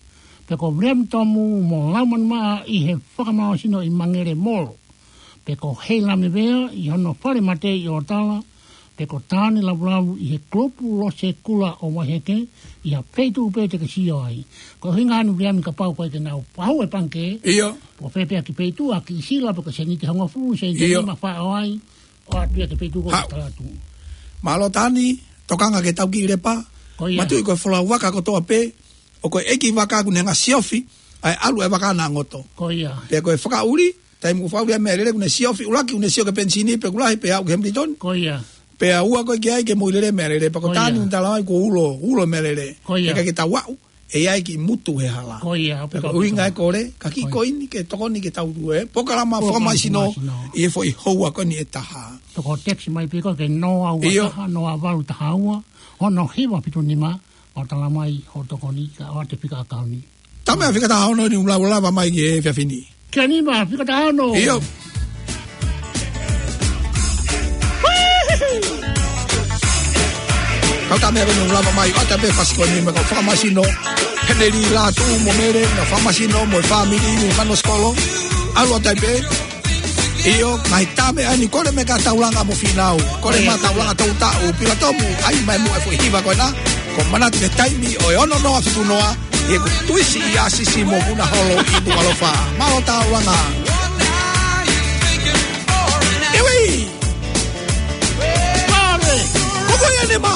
pe ko Viliami Tomu mo Laumanimaʻa ʻi he fakamālohisino ʻi Mangele Molo, pe ko Heilame Vea ʻi hono fale mate ʻi ʻOtala, pe ko Tane Lavulavu ʻi he kulupu Lose Kula ʻo Vaiheke, ʻi ha feituʻu pē te ke sio ai. Ko e ʻuhinga ʻeni Viliami kapau ko e ke nau pau e pangikē. ʻIo. Pe ko fē pē ha kiʻi feituʻu, ha kiʻi sila, pe ko e sēniti hongofulu, sēniti ʻIo. nima faʻo ai, ʻoatu ia ki he feituʻu ko Hau. Tala atu. Mālō Tani, tokanga ki he tau kiʻi lepa. Ko ia. Matuʻi ko e folau vaka kotoa pē, ʻo ko e ʻeiki vaka kuo ne hanga siofi, ʻa e ʻalu e vaka naʻa ngoto. Ko ia. Pea ko e fakaʻuli, taimi kuo fakaʻuli ai meʻalele kuo ne siofi, ʻuluaki kuo ne sio ki he penisini, pe kuo lahi, pe aʻu ki Hamilton. Ko ia. Pea ua ko e ki ai ke mou lele meʻalele, pea ko Ko ia. Tani kuo tala mai kuo ulo, ulo meʻalele. Ko ia. Pea ke tau aʻu, ʻe ʻi ai kiʻi mutu he hala. Ko ia, Pea ko e ʻuhinga e kole, ka kiʻi Ko ia. koini ke tokoni ke tau tue. Polokalama Polokalama fakamālohisino, fakamālohisino. ʻI he foʻi houa ko eni ʻe taha. Toko text mai pē ko e ke noa ua ʻIo. taha, noa valu taha ua, ono hiva fitu nima, ʻo tala mai hoʻo tokoni ka ʻoatu e fika ʻakauni. Tama e fika taha ono ni ʻoku lava mai ki he efiafi ni. Kia nima, fika taha ono. ʻIo. Kau tā meʻa ko eni ʻoku lava mai, ʻoatu pē fasi ko eni mo e kau fakamālohisino. Heneli Lātū mo Mele, mo e fakamālohisino, mo e fāmili, mo e fānau sikolo. ʻAlu ʻoatu pē. ʻIo, ngaahi tā meʻa ni, kole mai ka taulanga mo Fīnau. Kole mai taulanga tau taʻu, Pila Tomu, ʻai mai muʻa e foʻi hiva ko ena. Ko e manatu ki he taimi ʻo e ono noa fitu noa, ʻi heʻeku tuisi ʻi ʻAsisi mo Punaholo ʻi Nukuʻalofa. Mālō taulanga. Iwi! Mālō! Kuku ia nima!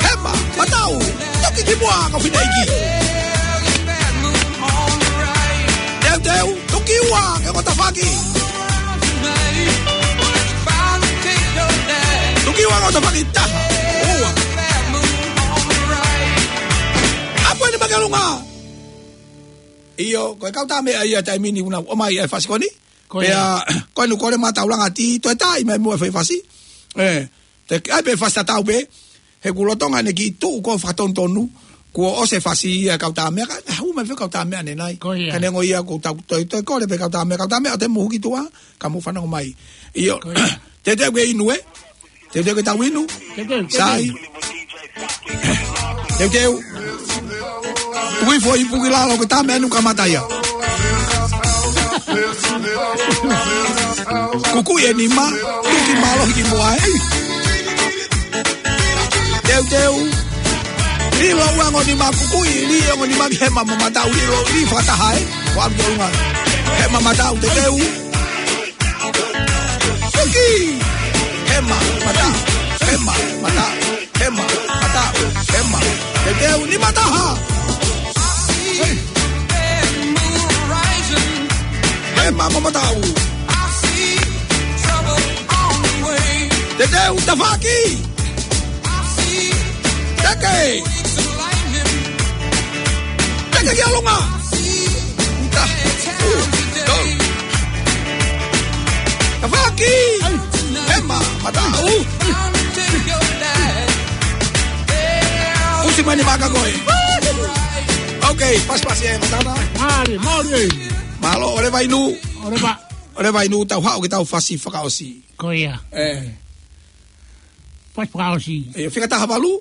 Hema, mataʻu, toki ki muʻa ka fineʻeiki. Teuteu, toki ua, ke motafaki. Toki ua, motafaki, taha, ua. ʻApu eni mai ki ʻolunga. ʻIo, ko e kau tā meʻa ia taimi ni ʻoku nau ʻomai e fasi ko eni. Ko ia. Pea, ko eni kole mai taulanga ti, toe tā mai muʻa e foʻi fasi. ʻE, te ke ʻai pē fasi tatau pē. He kuo lolotonga ʻene kiʻi tuʻu ko e fakatonutonu, kuo ʻosi e fasi ia kau tā meʻa, ka, hū mai fē kau tā meʻa ʻanenai. Ko ia. Ka neongo ia ko e tau, toe, toe kole pē kau tā meʻa, kau tā meʻa ʻoua te mou huki tuʻa, ka mou fanongo mai. ʻIo. Ko ia. Teuteu ke inu ē? Teuteu ke tau inu? Teuteu, teuteu. Sai. Teuteu. Ui foʻi ipu ki lalo ko e tā meʻa ʻanenai kamata ia. Kuku ia nima, tuki mālohi ki muʻa ē. Teuteu. Lilo ua ongo nima kuku ʻi, lilo ongo nima ki hema mo mataʻu, lilo ʻi fakataha ē. Ua ki ʻolunga. Hema mataʻu teuteu. Tuki. Hema mataʻu. Hema mataʻu. Hema mataʻu. Hema. Teuteu nima taha. Hema mo mataʻu. Teuteu tafaʻaki. Teke. Teke ki ʻolunga. Ta. Tau. Tafaʻaki. Hema mataʻu. Fusi mai nima ka koe. Ok, pasipasi e matana. Mālie, mālie. Mālō, ʻoua leva inu. ʻOua leva. ʻOua leva inu, tau haʻu ki heʻetau fasi fakaʻosi. Ko ia. ʻE. Fasi fakaʻosi. ʻE, fika taha valu.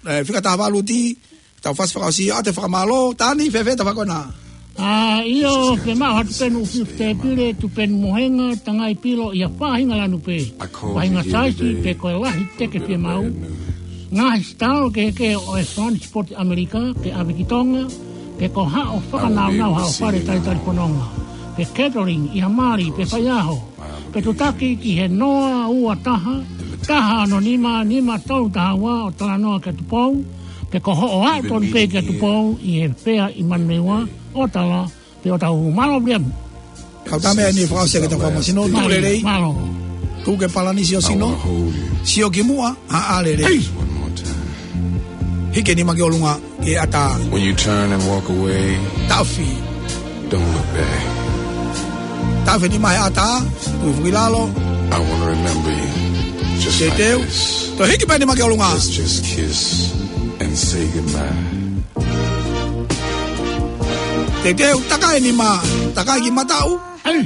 ʻE, fika taha valu T, tau fasi fakaʻosi, ʻoatu e fakamālō, Tani, fēfē ʻetau fakakona? ʻA, ʻio, ke maʻu ha tupenu ʻufiʻufi tēpile, tupenu mohenga, tangai pilo ʻi ha faʻahinga lanu pē. Faʻahinga saisi, pe ko e lahi teke fiemaʻu. Ngaahi sitalo kehekehe ʻo e Fund Sport ʻAmelika, ke ʻave ki Tonga, pe ko haʻo fakanaunau haʻo fale talitali fononga. Pe catering, ʻi ha mali, pe faiʻaho. Pe tutaki ki he noa ua taha, taha ono nima, nima tolu taha ua ʻo talanoa kia Tupou, pe ko hoʻo aʻu tonu pē kia Tupou ʻi he fea ʻi Manumeua, ʻo tala, pe ʻo tau mālō Viliami. Kau tā meʻa ni fakaʻosi ʻaki ʻetau fakamasino, tuku lelei. Mālō. Tuku ke palanisi ʻo sino. Sio ki muʻa, haʻa lelei. Hiki e nima ki ʻolunga, ke ʻatā. When you turn and walk away, taʻofi. Don't look back. Taʻofi e nima he ʻatā, tui foki ki lalo. I wanna remember you just like this. Teuteu. Toe hiki pē e nima ki ʻolunga. Let's just kiss and say goodbye. Teuteu, takai e nima, takai ki mataʻu. ʻAi.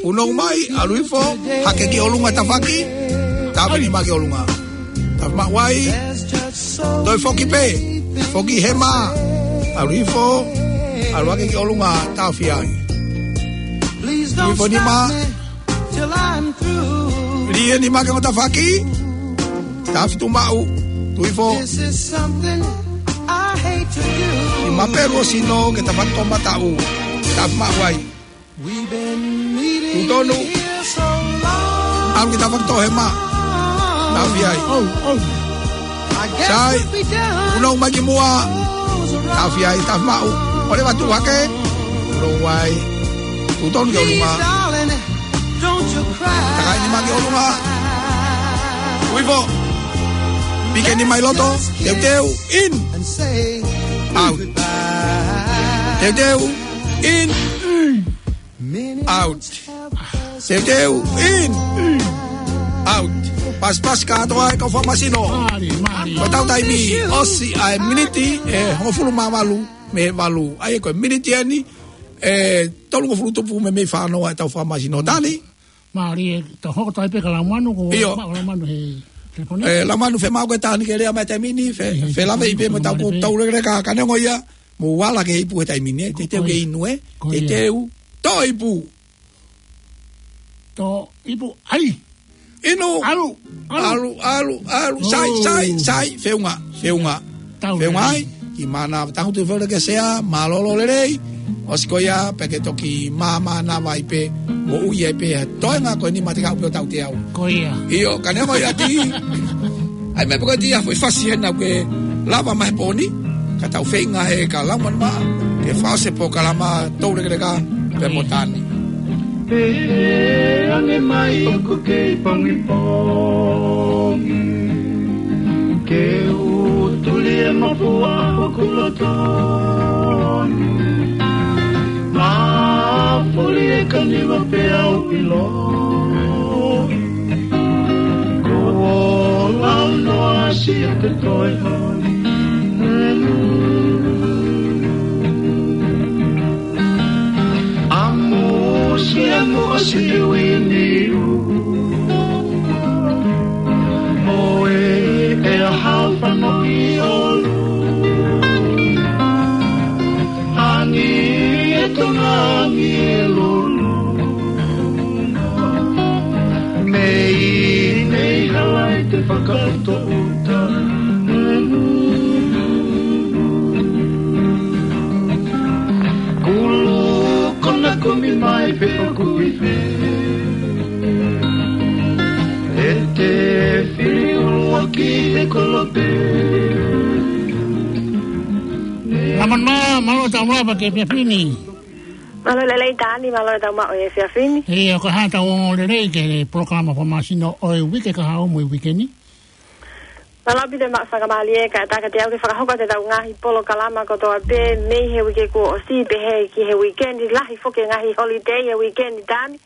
Punou mai, ʻalu hifo, hake ki ʻolunga tafaʻaki, taʻofi e nima ki ʻolunga. Taʻofi maʻu ai, toe foki pē, foki hema, ʻalu hifo, ʻalu hake ki ʻolunga, taʻofi ai. Tui hifo e nima, lī e nima ki he ongo tafaʻaki, taʻofi tuʻu maʻu, tui hifo. Nima pē ʻo sino ki he tafaʻaki toʻomataʻu, taʻofi maʻu ai. Tuʻu tonu. ʻAlu ki he tafaʻaki toʻohema. Taʻofi ai. Sai. Punou mai ki muʻa. Taʻofi ai, taʻofi maʻu. ʻOua leva tuʻu hake. Punou ai. Tuʻu tonu ki ʻolunga. Takai e nima ki ʻolunga. Tui hifo. Piki e nima ʻi loto. Teuteu. In. Out. Teuteu. In. Out. Teuteu, in. Out. Pasipasi kātoa e kau fakamasino. Mālie, mālie. Ko ʻetau taimi, ʻosi ʻa e miniti ʻe hongofulu mā valu mei he valu. ʻA ia ko e miniti eni ʻe tolungofulu tupu mei he fā noa ʻetau fakamasino. Tani? Mālie, tau hoko atu pē kia Laumanu, ko ʻIo. Maʻu Laumanu he telefoni. ʻE, Laumanu, fiemaʻu ke Tani ke lea mai he taimi ni, fe-, felāveʻi pē mo ʻetau, ko ʻetau lekeleka, ka neongo ia, mou ala ke ipu he taimi ni, teuteu ke inu ē, teuteu, toʻo ipu. Toʻo ipu, ʻai. Inu. ʻAlu, ʻalu. ʻAlu, ʻalu, ʻalu. Sai, sai, sai, feʻunga, feʻunga. Feʻunga ai, ki mana, tangutu fole ke sea, mālōlō lelei. ʻOsi ko ia, pea ke toki māmā na vai pē, moʻui ai pē, toenga ko e nima te kau pio tau te au. Ko ia. ʻIo, ka neongo ia Tani. ʻAi mai pē ko e Tani, foʻi fasi hena ke lava mai he pō ni, ka tau feinga he ka lava mai, ke fakaʻosi e polokalama tau lekeleka, pea mo Tani. Pehē ange mai ʻoku kei pongipongi, ke u tuli e mafua hoku loto ni. Mafuli e kaniva pea u ʻilo. Ko Launoa si e te toe honi. ʻAmusia mo ʻasi uini u. Mo e ʻea hao fano ʻi ʻolunga. Angi e tonga angi e lolo. Mei, mei hala i te fakatoʻuta. Kulu kona kumi mai pe ʻoku ʻi fē. E te fili ʻuluaki e kolope. Laumanu, mālō e tau lava ki he efiafi ni. Mālō e lelei Tani, mālō e tau maʻu e efiafi ni. ʻIo, ko e hā ʻetau ongoongolelei ki he polokalama fakamasino ʻo e uike kahaʻu mo e uike ni? Mālō ʻaupito e maʻu faingamālie, kae ʻatā kiate au ke fakahoko atu ʻetau ngaahi polokalama kotoa pē mei he uike kuo ʻosi pehē ki he uike ni, lahi foki e ngaahi holiday he uike ni Tani.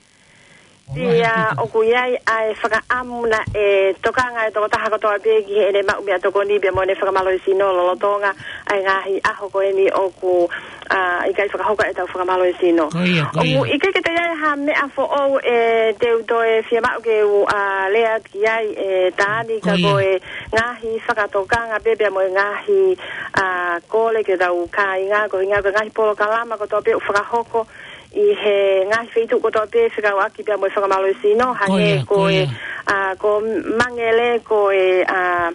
Ia, ʻoku ʻi ai ʻa e fakaʻamu naʻe tokanga e tokotaha kotoa pē ki heʻene maʻu meʻatokoni pea mo ʻene fakamālohisino lolotonga ʻa e ngaahi ʻaho ko eni ʻoku, ʻa, ʻikai fakahoko ʻetau fakamālohisino. Ko ia, ko ia. ʻOku ʻikai ke toe ʻi ai ha meʻa foʻou ʻe te u toe fiemaʻu ke u, ʻa, lea ki ai ʻe Taani, ka ko e ngaahi fakatokanga pē pea mo e ngaahi, ʻa, kole ki hotau kāinga, ko e ʻuhinga ko e ngaahi polokalama kotoa pē ʻoku fakahoko ʻi he ngaahi feituʻu kotoa pē fekauʻaki pea mo e fakamālohisino, hangē ko e, ʻa, ko Mangele, ko e, ʻa,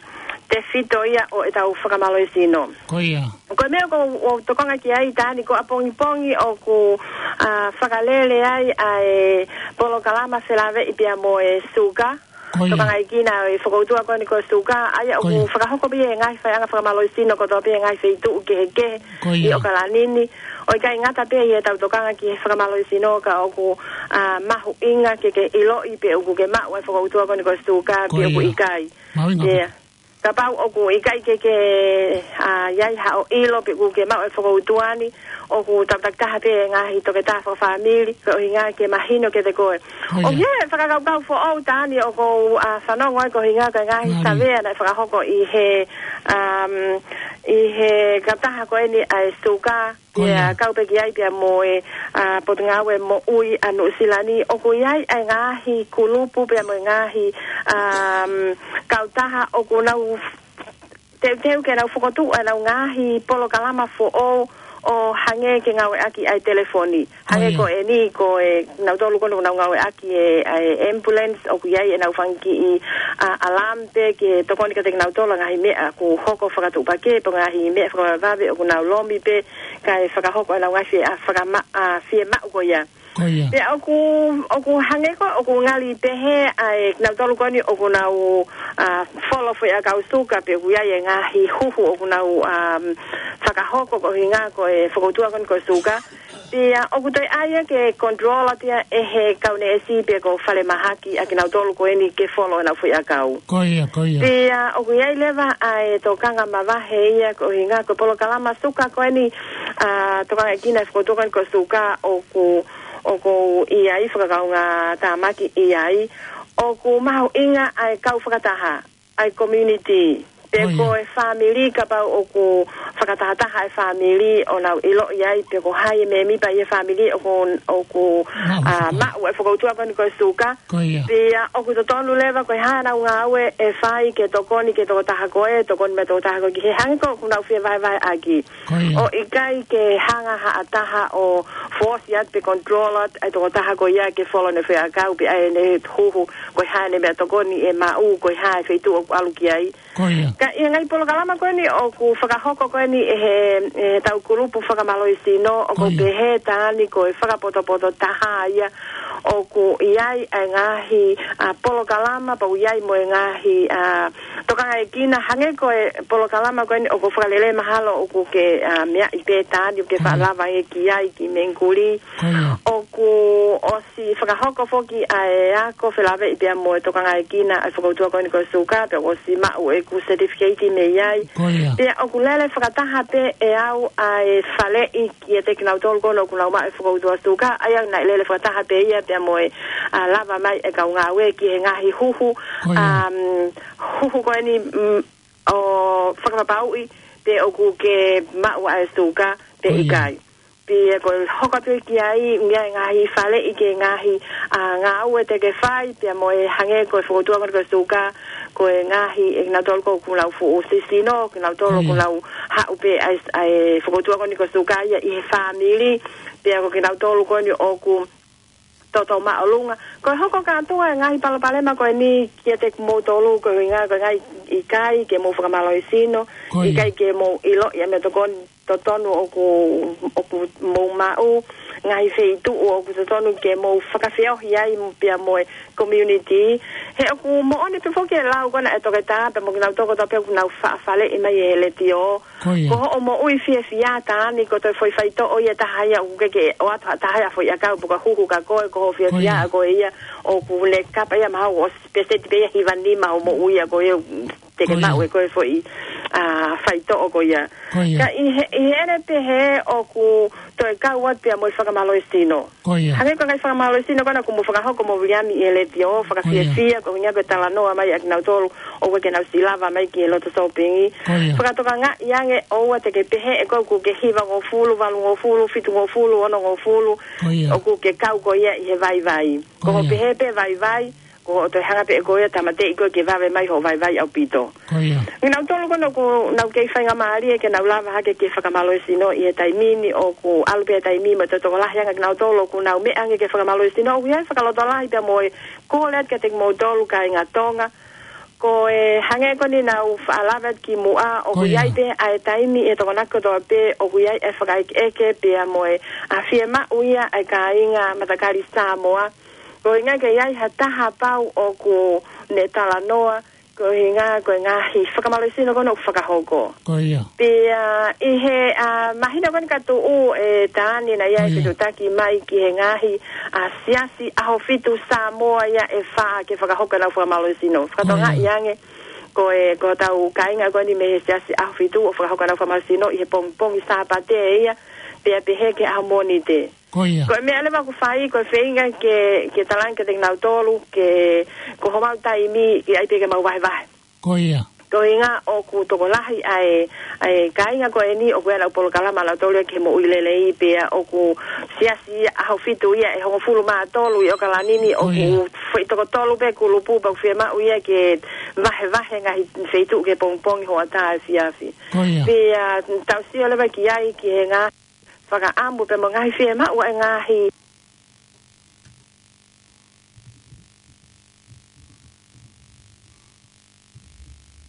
tefito ia ʻo ʻetau fakamālohisino. Ko ia. Ko e meʻa ʻoku ou tokanga ki ai, Taani, ko ʻapongipongi ʻoku, ʻa, fakalele ai ʻa e polokalama felāveʻi pea mo e suka. Ko ia. Tokangaekina e fokoutua ko eni ko e suka, ʻa ia ʻoku fakahoko pē ʻi he ngaahi faiʻanga fakamālohisino kotoa pē ʻi he ngaahi feituʻu kehekehe ʻi ʻOkalani ni. ʻO ʻikai ngata pē ʻi heʻetau tokanga ki he fakamālohisino ka ʻoku, ʻa, mahuʻinga ke ke ʻiloʻi pe ʻoku ke maʻu e fokoutua ko eni ko e suka pe ʻoku ʻikai. Kapau ʻoku ʻikai ke ke, ʻa, ʻi ai haʻo ʻilo pe ʻoku ke maʻu e fokoutua ni, ʻoku taputaputaha pē e ngaahi toketā fakafāmili, ko e ʻuhinga ke mahino kiate koe. ʻOku ʻi ai e fakakaukau foʻou, Taani, ʻoku ou, ʻa, fanongo ai ko e ʻuhinga ko e ngaahi savea naʻe fakahoko ʻi he, ʻa, ʻi he kautaha ko eni ʻa e suka, pea kau pē ki ai pea mo e, ʻa, Potungāue Moʻui ʻa Nuʻusila ni, ʻoku ʻi ai e ngaahi kulupu pea mo e ngaahi, ʻa, kautaha ʻoku nau teuteu ke nau fokotuʻu ʻenau ngaahi polokalama foʻou ʻo hangē ke ngāueʻaki ʻa e telefoni. Hangē ko eni ko e nautolu ko eni ʻoku nau ngāueʻaki e, ʻa e ambulance ʻoku ʻi ai ʻenau fanga kiʻi, ʻa, alarm pē ke tokoni kiate kinautolu ʻa e ngaahi meʻa ʻoku hoko fakatuʻupakē pe ngaahi meʻa fakavavevave ʻoku nau lomi pē kae fakahoko ʻenau ngaahi fie, ʻa, fakama-, ʻa, fiemaʻu ko ia. Pea ʻoku, ʻoku hangē ko ʻoku ngali pehē ʻa e kinautolu ko eni ʻoku nau, ʻa, folo foʻiʻakau suka pe ʻoku ʻi ai e ngaahi huhu ʻoku nau, ʻa, fakahoko ko e ʻuhinga ko e fokoutua ko eni ko e suka. Pea ʻoku toe ʻai ia ke control atu ia ʻe he kau neesi pe ko falemahaki ʻa kinautolu ko eni ke folo ʻenau foʻiʻakau. Ko ia, ko ia. Pea ʻoku ʻi ai leva ʻa e tokanga mavahe ia ko e ʻuhinga ko e polokalama suka ko eni, ʻa, tokangaekina e fokoutua ko eni ko e suka ʻoku, ʻoku ʻi ai fakakaungātāmaki ʻi ai. ʻOku mahuʻinga ʻa e kau fakataha, ʻa e community. Pe ko e fāmili kapau ʻoku fakatahataha e fāmili ʻo nau ʻiloʻi ai pe ko hai e mēmipa ʻi he fāmili ʻoku, ʻoku, ʻa, maʻu e fokoutua ko eni ko e suka. Pea ʻoku totonu leva ko e hā ʻenau ngāue ʻe fai ke tokoni ki he tokotaha ko ē, tokoni mai e tokotaha ko ē ki he hangē ko ʻoku nau fie vahevaheʻaki. ʻO ʻikai ke hanga ha taha ʻo force atu pe control atu e tokotaha ko ia ke folo ʻene foʻiʻakau pe ʻai ʻene huhu ko e hā ʻene meʻatokoni ʻe maʻu, ko e hā e feituʻu ʻoku ʻalu ki ai. Ka ʻi he ngaahi polokalama ko eni ʻoku fakahoko ko eni ʻe he, ʻe heʻetau kulupu fakamālohisino ʻoku pehē, Taani, ko e fakapotopoto taha ia ʻoku ʻi ai e ngaahi, ʻa, polokalama pea ʻoku ʻi ai mo e ngaahi, ʻa, tokangaekina hangē ko e polokalama ko eni ʻoku fakalele mahalo ʻoku ke, ʻa, meaʻi pē, Taani, ʻoku ke faʻa lava ange ki ai ki Mengikuli. ʻOku ʻosi fakahoko foki ʻa e ako felāveʻi pea mo e tokangaekina ʻa e fokoutua ko eni ko e suka, pea ʻoku ʻosi maʻu ʻeku certificate mei ai. Pea ʻoku lele fakataha pē ʻe au ʻa e faleʻi kiate kinautolu ko eni ʻoku nau maʻu e fokoutua suka, ʻa ia naʻe lele fakataha pē ia pea mo e, ʻa, lava mai e kau ngāue ki he ngaahi huhu, ʻa, huhu ko eni, mm, ʻo fakapapauʻi pe ʻoku ke maʻu ʻa e suka pe ʻikai. Pea ko e hoko atu ki ai, ʻi ai e ngaahi faleʻi ki he ngaahi, ʻa, ngāue te ke fai, pea mo e hangē ko e fokoutua ko eni ko e suka, ko e ngaahi, ʻe kinautolu ko ē ʻoku nau fuʻu sisino, kinautolu ʻoku nau haʻu pē ʻa e, ʻa e fokoutua ko eni ko e suka ia ʻi he fāmili, pea ko kinautolu ko eni ʻoku toto māʻolunga. Ko e hoko kātoa e ngaahi palopalema ko eni kiate kimoutolu, ko e ʻuhinga ko e ngaahi ʻikai ke mou fakamālohisino, ʻikai ke mou ʻiloʻi ʻa e meʻatokoni totonu ʻoku, ʻoku mou maʻu, ngaahi feituʻu ʻoku totonu ke mou fakafeohi ai pea mo e community. He ʻoku moʻoni pē foki e lau ko ena ʻa e toketā pea mo kinautolu kotoa pē ʻoku nau faʻa faleʻi mai ʻi he letiō. Ko hoʻo moʻui fiefia, Taani, ko e toe foʻi faitoʻo ia ʻe taha ia ʻoku ke ke ʻoatu ha taha ia foʻiʻakau pe ko e huhu kia koe, ko hoʻo fiefia ʻa koe ia ʻoku ne kapa ia mahalo ʻosi peseti pē ia hiva nima hoʻo moʻui ʻa koe ia. te ke maʻu ʻe koe foʻi, ʻa, faitoʻo ko ia. Ka ʻi he, ʻi heʻene pehē ʻoku toe kau atu pea mo e fakamālohisino. Hangē ko e ngaahi fakamālohisino ko ena kuo mou fakahoko mo Viliami ʻi he letiō, fakafiefia, ko e ʻuhinga ko e talanoa mai ʻa kinautolu ʻoku ʻikai ke nau siʻi lava mai ki he loto sōpingi. Fakatokangaʻi ange ʻoua te ke pehē ʻe koe ʻoku ke hivangofulu, valungofulu, fitungofulu, onongofulu, ʻoku ke kau ko ia ʻi he vaivai. Ko hoʻo pehē pē vaivai, ko hoʻo toe hanga pē ʻe koe ia tāmateʻi koe ke vave mai hoʻo vaivai ʻaupito. Kinautolu ko ena ʻoku nau kei faingamālie ke nau lava hake ke fakamālohisino ʻi he taimi ni ʻoku ʻalu pē taimi mo e tokolahi ange kinautolu ʻoku nau meʻa ange ke fakamālohisino ʻoku ʻi ai e fakalotolahi pea mo e kole atu kiate kimoutolu kāinga Tonga. Ko e hangē ko eni naʻa ku faʻa lave atu kimuʻa ʻoku ʻi ai pē ʻa e taimi ʻi he Tokonaki kotoa pē ʻoku ʻi ai e fakaʻekeʻeke pea mo e ʻa fiemaʻu ia ʻa e kāinga matakali Samoa. Ko e ʻuhinga ke ʻi ai ha taha pau ʻoku ne talanoa, ko e ʻuhinga ko e ngaahi fakamālohisino ko ena ʻoku fakahoko. Pea ʻi he, ʻa, māhina ko eni ka tuʻu ʻe Tani naʻe ʻi ai e fetuʻutaki mai ki he ngaahi, ʻa, siasi ʻAhofitu Samoa ia ʻe fā ke fakahoko ʻenau fakamālohisino. Fakatokangaʻi ange, ko e, ko hotau kāinga ko eni mei he siasi ʻAhofitu ʻoku fakahoko ʻenau fakamālohisino ʻi he pongipongi Sāpate ia, pea pehē ki he ʻaho Mōnite. Ko e meʻa leva ʻoku fai, ko e feinga ke, ke talaange kiate kinautolu, ke, ko homau taimi, ʻe ʻi ai pē ke mau vahevahe. Ko e ʻuhinga ʻoku tokolahi ʻa e, ʻa e kāinga ko eni, ʻoku ʻi ai ʻenau polokalama ʻanautolu ia ki he moʻui lelei pea ʻoku siasi ʻAhofitu ia ʻe hongofulu mā tolu ʻi ʻOkalani ni, ʻoku foʻi toko tolu pē kulupu pea ʻoku fiemaʻu ia ke vahevahe ngaahi feituʻu ki he pongipongi, hoʻatā, efiafi. Pea tau sio leva ki ai ki he ngaahi fakaʻamu pea mo e ngaahi fiemaʻu ʻa e ngaahi.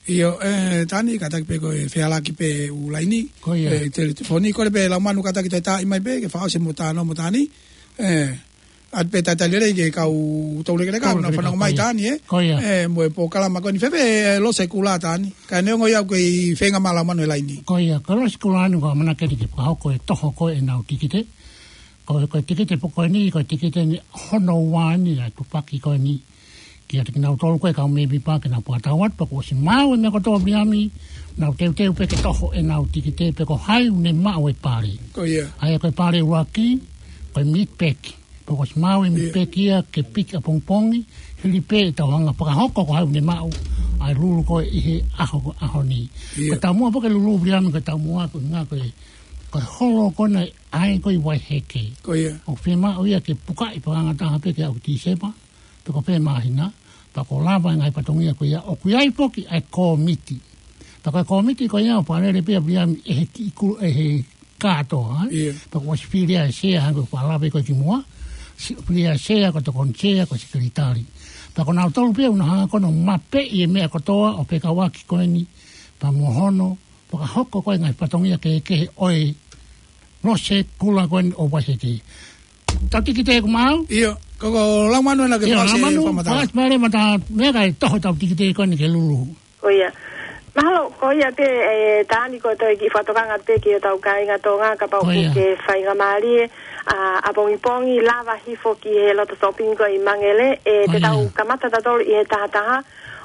ʻIo, ʻe, Tani, kātaki pē ko e fehālaaki pē ʻū laini. ʻE, telefoni, kole pē Laumanu kātaki toe taaʻi mai pē, ke fakaʻosi mo Tano mo Tani. ʻE, ʻoatu pē talitali lelei ki he kau toulekeleka, ʻoku nau fanongo mai, Tani, ē? ʻE, mo e polokalama ko eni, fēfē, ʻe, Lose Kula, Tani. Ka neongo ia ʻoku kei feinga mai Laumanu he laini. Ko ia, ko Lose Kula ni ko e ʻamanaki ke fakahoko e toho ko ē ʻenau tikite. Ko e, ko e tikite pē ko eni, ko e tikite ni hono ua ni ʻa e tupaki ko eni. Kiate kinautolu ko e kau mēmipa ke nau fakatau atu, pea kuo ʻosi maʻu e meʻa kotoa Viliami, nau teuteu pē ke toho ʻenau tikite pe ko hai ʻoku ne maʻu e pale. ʻA ia ko e pale ʻuluaki, ko e mid-pack. Pea kuo ʻosi maʻu e mid-pack ia ke piki ʻapongipongi, hili pē ʻetau hanga fakahoko ko hai ʻoku ne maʻu ʻa e lulu ko ē ʻi he ʻaho, ʻaho ni. Ko e taumuʻa pē ke lulu Viliami, ko e taumuʻa ko e ʻuhinga ko e, ko e holo ko ena ʻa e ko e Vaiheke. ʻOku fiemaʻu ia ke pukaʻi pē ʻa e ngataʻanga pē ke aʻu ki Tīsema, pe ko fē māhina, pea kuo lava e ngaahi fatongia ko ia, ʻoku ʻi ai foki ʻa e kōmiti. Pea ko e kōmiti ko ia ʻoku fakalele pē ia Viliami ʻe he kiʻi kulu, ʻe he kātoa, ē? Pea kuo ʻosi fili ʻa e sea, hangē ko e fakalave ko ē kimuʻa, si-, fili ʻa e sea, ko e tokoni sea, ko e sekelitali. Pea ko kinautolu pē ʻoku nau hanga ko ena ʻo mapeʻi e meʻa kotoa ʻo fekauʻaki ko eni, pea mo hono fakahoko ko ē ngaahi fatongia kehekehe ʻo e Lose Kula ko eni ʻo Vaiheke. Tau tikite ʻoku maʻu? ʻIo, ko, ko Laumanu ena ke fakaʻosi e fakamātala. Fakaʻosi mai leva ʻetau meʻa kae toho ʻetau tikite ko eni ke lulu. Ko ia. Mahalo, ko ia pē, ʻe, Tani, ko e toe kiʻi fakatokanga pē ki hotau kāinga Tonga, kapau ʻoku ke faingamālie, ʻa, ʻapongipongi, lava hifo ki he loto sōpingi ko ē ʻi Mangele, ʻe, te tau kamata tautolu ʻi he taha taha,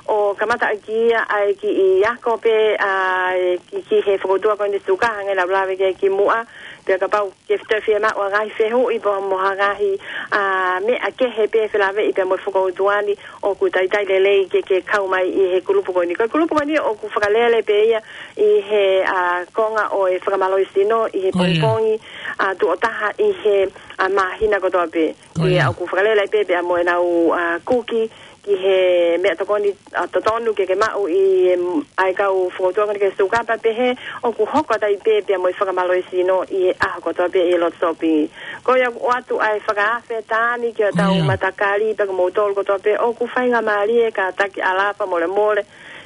ʻo kamata ʻaki ia ʻa e kiʻi ako pē, ʻa, ʻe, ki, ki he fokoutua ko eni suka, hangē naʻa ku lave ki ai kimuʻa, pea kapau ke toe fiemaʻu ha ngaahi fehuʻi pea mo ha ngaahi, ʻa, meʻa kehe pē felāveʻi pea mo e fokoutua ni, ʻoku talitali lelei ke, ke kau mai ʻi he kulupu ko eni. Ko e kulupu ko eni ʻoku fakalele pē ia ʻi he, ʻa, konga ʻo e fakamālohisino ʻi he pongipongi, ʻa, tuʻo taha ʻi he, ʻa, māhina kotoa pē. Pea ʻoku fakalele pē pea mo ʻenau, ʻa, kuki ki he meʻatokoni, ʻa, totonu ke ke maʻu ʻi, em, ʻa e kau fokoutua ko eni ki he suka pea pehē ʻoku hoko atu ai pē pea mo e fakamālohisino ʻi he ʻaho kotoa pē ʻi he loto sōpingi. Ko ia ʻoku ʻoatu ʻa e fakaafe Tani ki hotau matakali pea ko moutolu kotoa pē ʻoku faingamālie, kātaki ʻalā pea molemole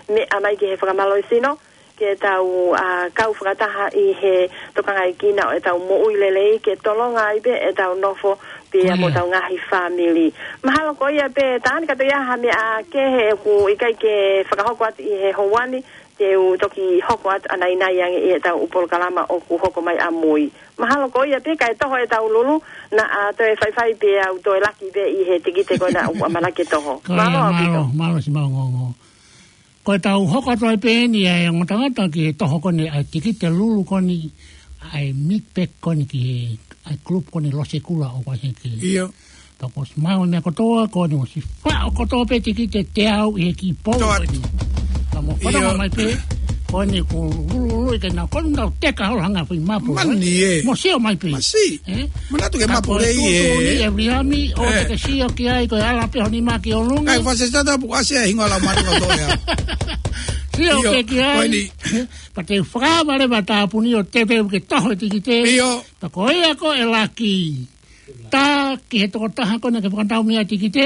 meʻa mai ki he fakamālohisino ke tau, ʻa, kau fakataha ʻi he tokangaekina ʻo ʻetau moʻui lelei, ke tolonga ai pē ʻetau nofo pea mo ʻetau ngaahi fāmili. Mahalo ko ia pē, Tani, ka toe ʻi ai ha meʻa kehe ʻoku ʻikai ke fakahoko atu ʻi he houa ni, te u toki hoko atu ʻanainai ange ʻi heʻetau ʻū polokalama ʻoku hoko mai ʻamui. Mahalo ko ia pē, kae toho ʻetau lulu, naʻa toe faifai pē au toe laki pē ʻi he tikite ko ena ʻoku ʻamanaki ke toho. Mālō ʻaupito. Mālō, mālō siʻi maʻungoʻungo. Ko e tau hoko atu ai pē eni ʻa e ongo tangata ki he toho ko eni ʻa e tikite lulu ko eni ʻa e meat pack ko eni ki he ʻa e group ko eni Losekula ʻo Vaiheke. ʻIo. Pea kuo ʻosi maʻu e meʻa kotoa, ko eni ʻosi faʻo kotoa pē tikite teau ʻi he kiʻi pou ko eni. Ka mo fana mai pē, ko eni kuo lulululu ʻi ke na ko eni tau teka holo hanga fai mapu. Mani ē. Mo sio mai pē. Masi. Ē? Manatu ke mapu lei ē. Ka ko e tuʻutuʻuni ʻe Viliami, ʻoua te ke sio ki ai, ko e ala pē ho nima ki ʻolunga. Kae fasi tata pu ʻasi ʻa e hingoa lau manu kotoa ia. Sio ke ki ai. Ko eni. Pea te u fakaava leva e tāpuni ʻo teuteu ke toho e tikite. ʻIo. Pea ko ia ko e laki. Tā ki he tokotaha ko ena ke fakatau mei ai e tikite,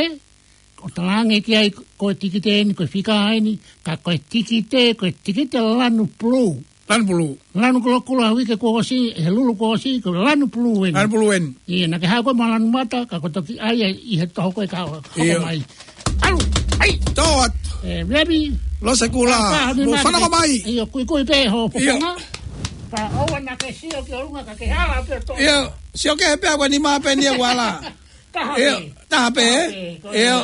ʻo talaange ki ai ko e tikite eni, ko e fika eni, ka ko e tikite, ko e tikite lanu pulū. Lanu pulū. Lanu kulokula uike kuo ʻosi, he lulu kuo ʻosi, ko e lanu pulū eni. Lanu pulū eni. ʻIo, naʻa ke haʻu koe mo e lanu mata, ka ko e toki ʻai ʻi he toho ko ē ka hoko mai. ʻAlu, ʻai. Tō atu. ʻE, Viliami. Losekula, mo fanongo mai. ʻIo, kuikui pē ho poponga. Ka ʻoua naʻa ke sio ki ʻolunga ka ke hala pē ʻo tō. ʻIo, sio ki he pea ko e nima pē eni ʻoku ala. Taha pē. ʻIo, taha pē. Taha pē, ko ia. ʻIo.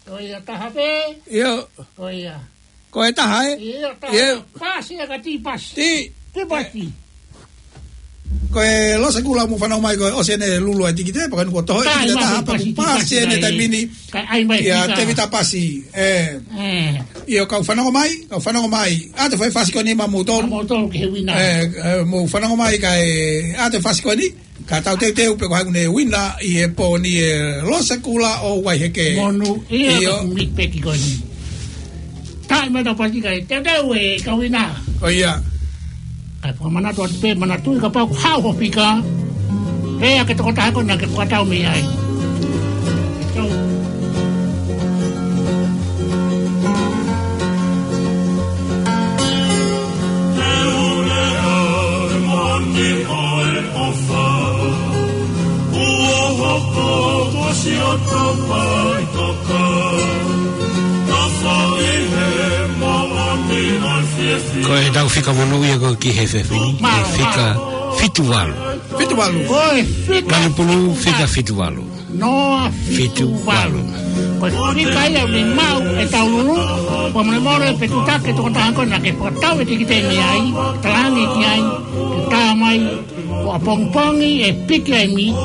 Ko ia, taha pē. ʻIo. Ko e taha ē? ʻIo, taha. ʻIo. Pasi ʻa ka ti pasi. Ti. Ti pasi. Ko e Losekula mo fanongo mai ko e ʻosi ʻene lulu ʻa e tikite, pea ko eni kuo toho e tikite taha, pea kuo pasi ʻene taimi ni. Ka ʻai mai ia fika. Tēvita Pasi. ʻE. ʻIo, kau fanongo mai, kau fanongo mai. ʻAtu e fasi ko eni maʻamoutolu. Maʻamoutolu ki he uina. ʻE, ʻe, mo fanongo mai kae ʻatu e fasi ko eni. Ka tau teuteu pē ko hai ʻoku ne uina ʻi he pō ni ʻe Losekula ʻo Vaiheke. Monūʻia. ʻIo. Ko e meat pack ko eni. Taʻi mai tau pasi kae teuteu e kau uina. Ko ia. Kae fakamanatu atu pē, manatuʻi kapau ʻoku haʻu ho fika, pea ke tokotaha ko ena ke fakatau mei ai. Ko e tau fika monūʻia ko ē ki he efiafi ni, ko e fika fitu valu. Fitu valu. Ko e fika. Lanu pulū, fika fitu valu. Noa fitu valu. Ko e fika ia ʻoku ne maʻu e tau lulu, fakamolemole pē tuku ke tokotaha ko ena ke fakatau e tikite mei ai, talaange ki ai, ke tā mai, ʻo ʻapongipongi ʻe piki ai e meat,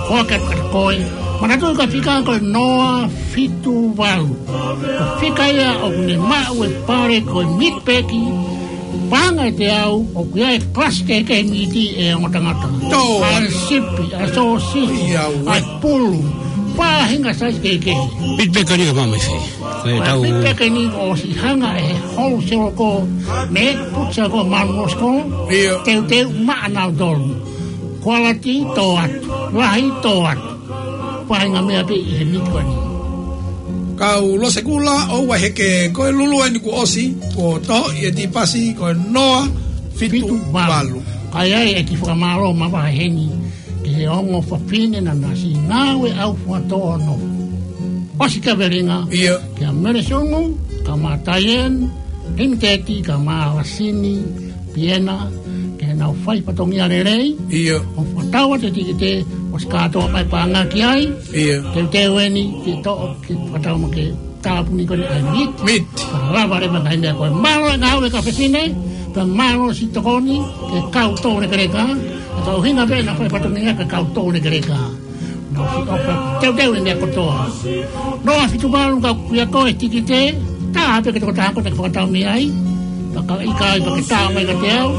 ko e kata koe. Manatuʻi ko e fika ko e noa fitu valu. Ko e fika ia ʻoku ne maʻu e pale ko e meat pack, paʻanga ʻe teau, ʻoku ʻi ai e kalasi kehekehe e miti ʻa e ongo tangata. Tō. ʻA e sipi, ʻa e sōsisi, ʻa e pulu, faʻahinga size kehekehe. Meat pack ni ka mamafi. Ko e tau meat pack ni kuo ʻosi hanga ʻe he wholesale ko ē, mei he butcher ko ē Manuosko, ʻio, teuteu maʻanautolu. Quality tō atu, lahi tō atu. Faʻahinga meʻa pē ʻi he miti ko eni. Kau Losekula ʻo Vaiheke, ko e lulu eni kuo ʻosi, kuo tohoʻi e tipasi, ko e noa fitu valu. Fitu valu. Ka ʻi ai e kiʻi fakamālō mavahe heni ki he ongo fafine naʻa na siʻi ngāue ʻaufuatō ʻo nofo. ʻOsi kavelinga. ʻIo. Kia Mele Sungu, kae ʻumaʻā Taieni, Limiteti, kae ʻumaʻā Lasini, Piena, ke nau fai fatongia lelei. ʻIo. ʻO fakatau atu e tikite, ʻosi kātoa mai paʻanga ki ai. ʻIo. Teuteu eni, ke toʻo, ke fakatau mai ki he tāpuni ko eni ʻa e meat. Meat. Ka lava leva ngaahi meʻa ko ē. Mālō e ngāue kau fefine, pea mālō siʻi tokoni, ke kau tō lekeleka, ʻa e kau hinga pē naʻa fai fatongia ke kau tō lekeleka. Nau fika ʻo pē teuteu e meʻa kotoa. Noa fitu valu ka kuia ko e tikite, tā pē ke tokotaha ko ē ke fakatau mei ai. Pea ka ʻikai pea ke tā mai kiate au.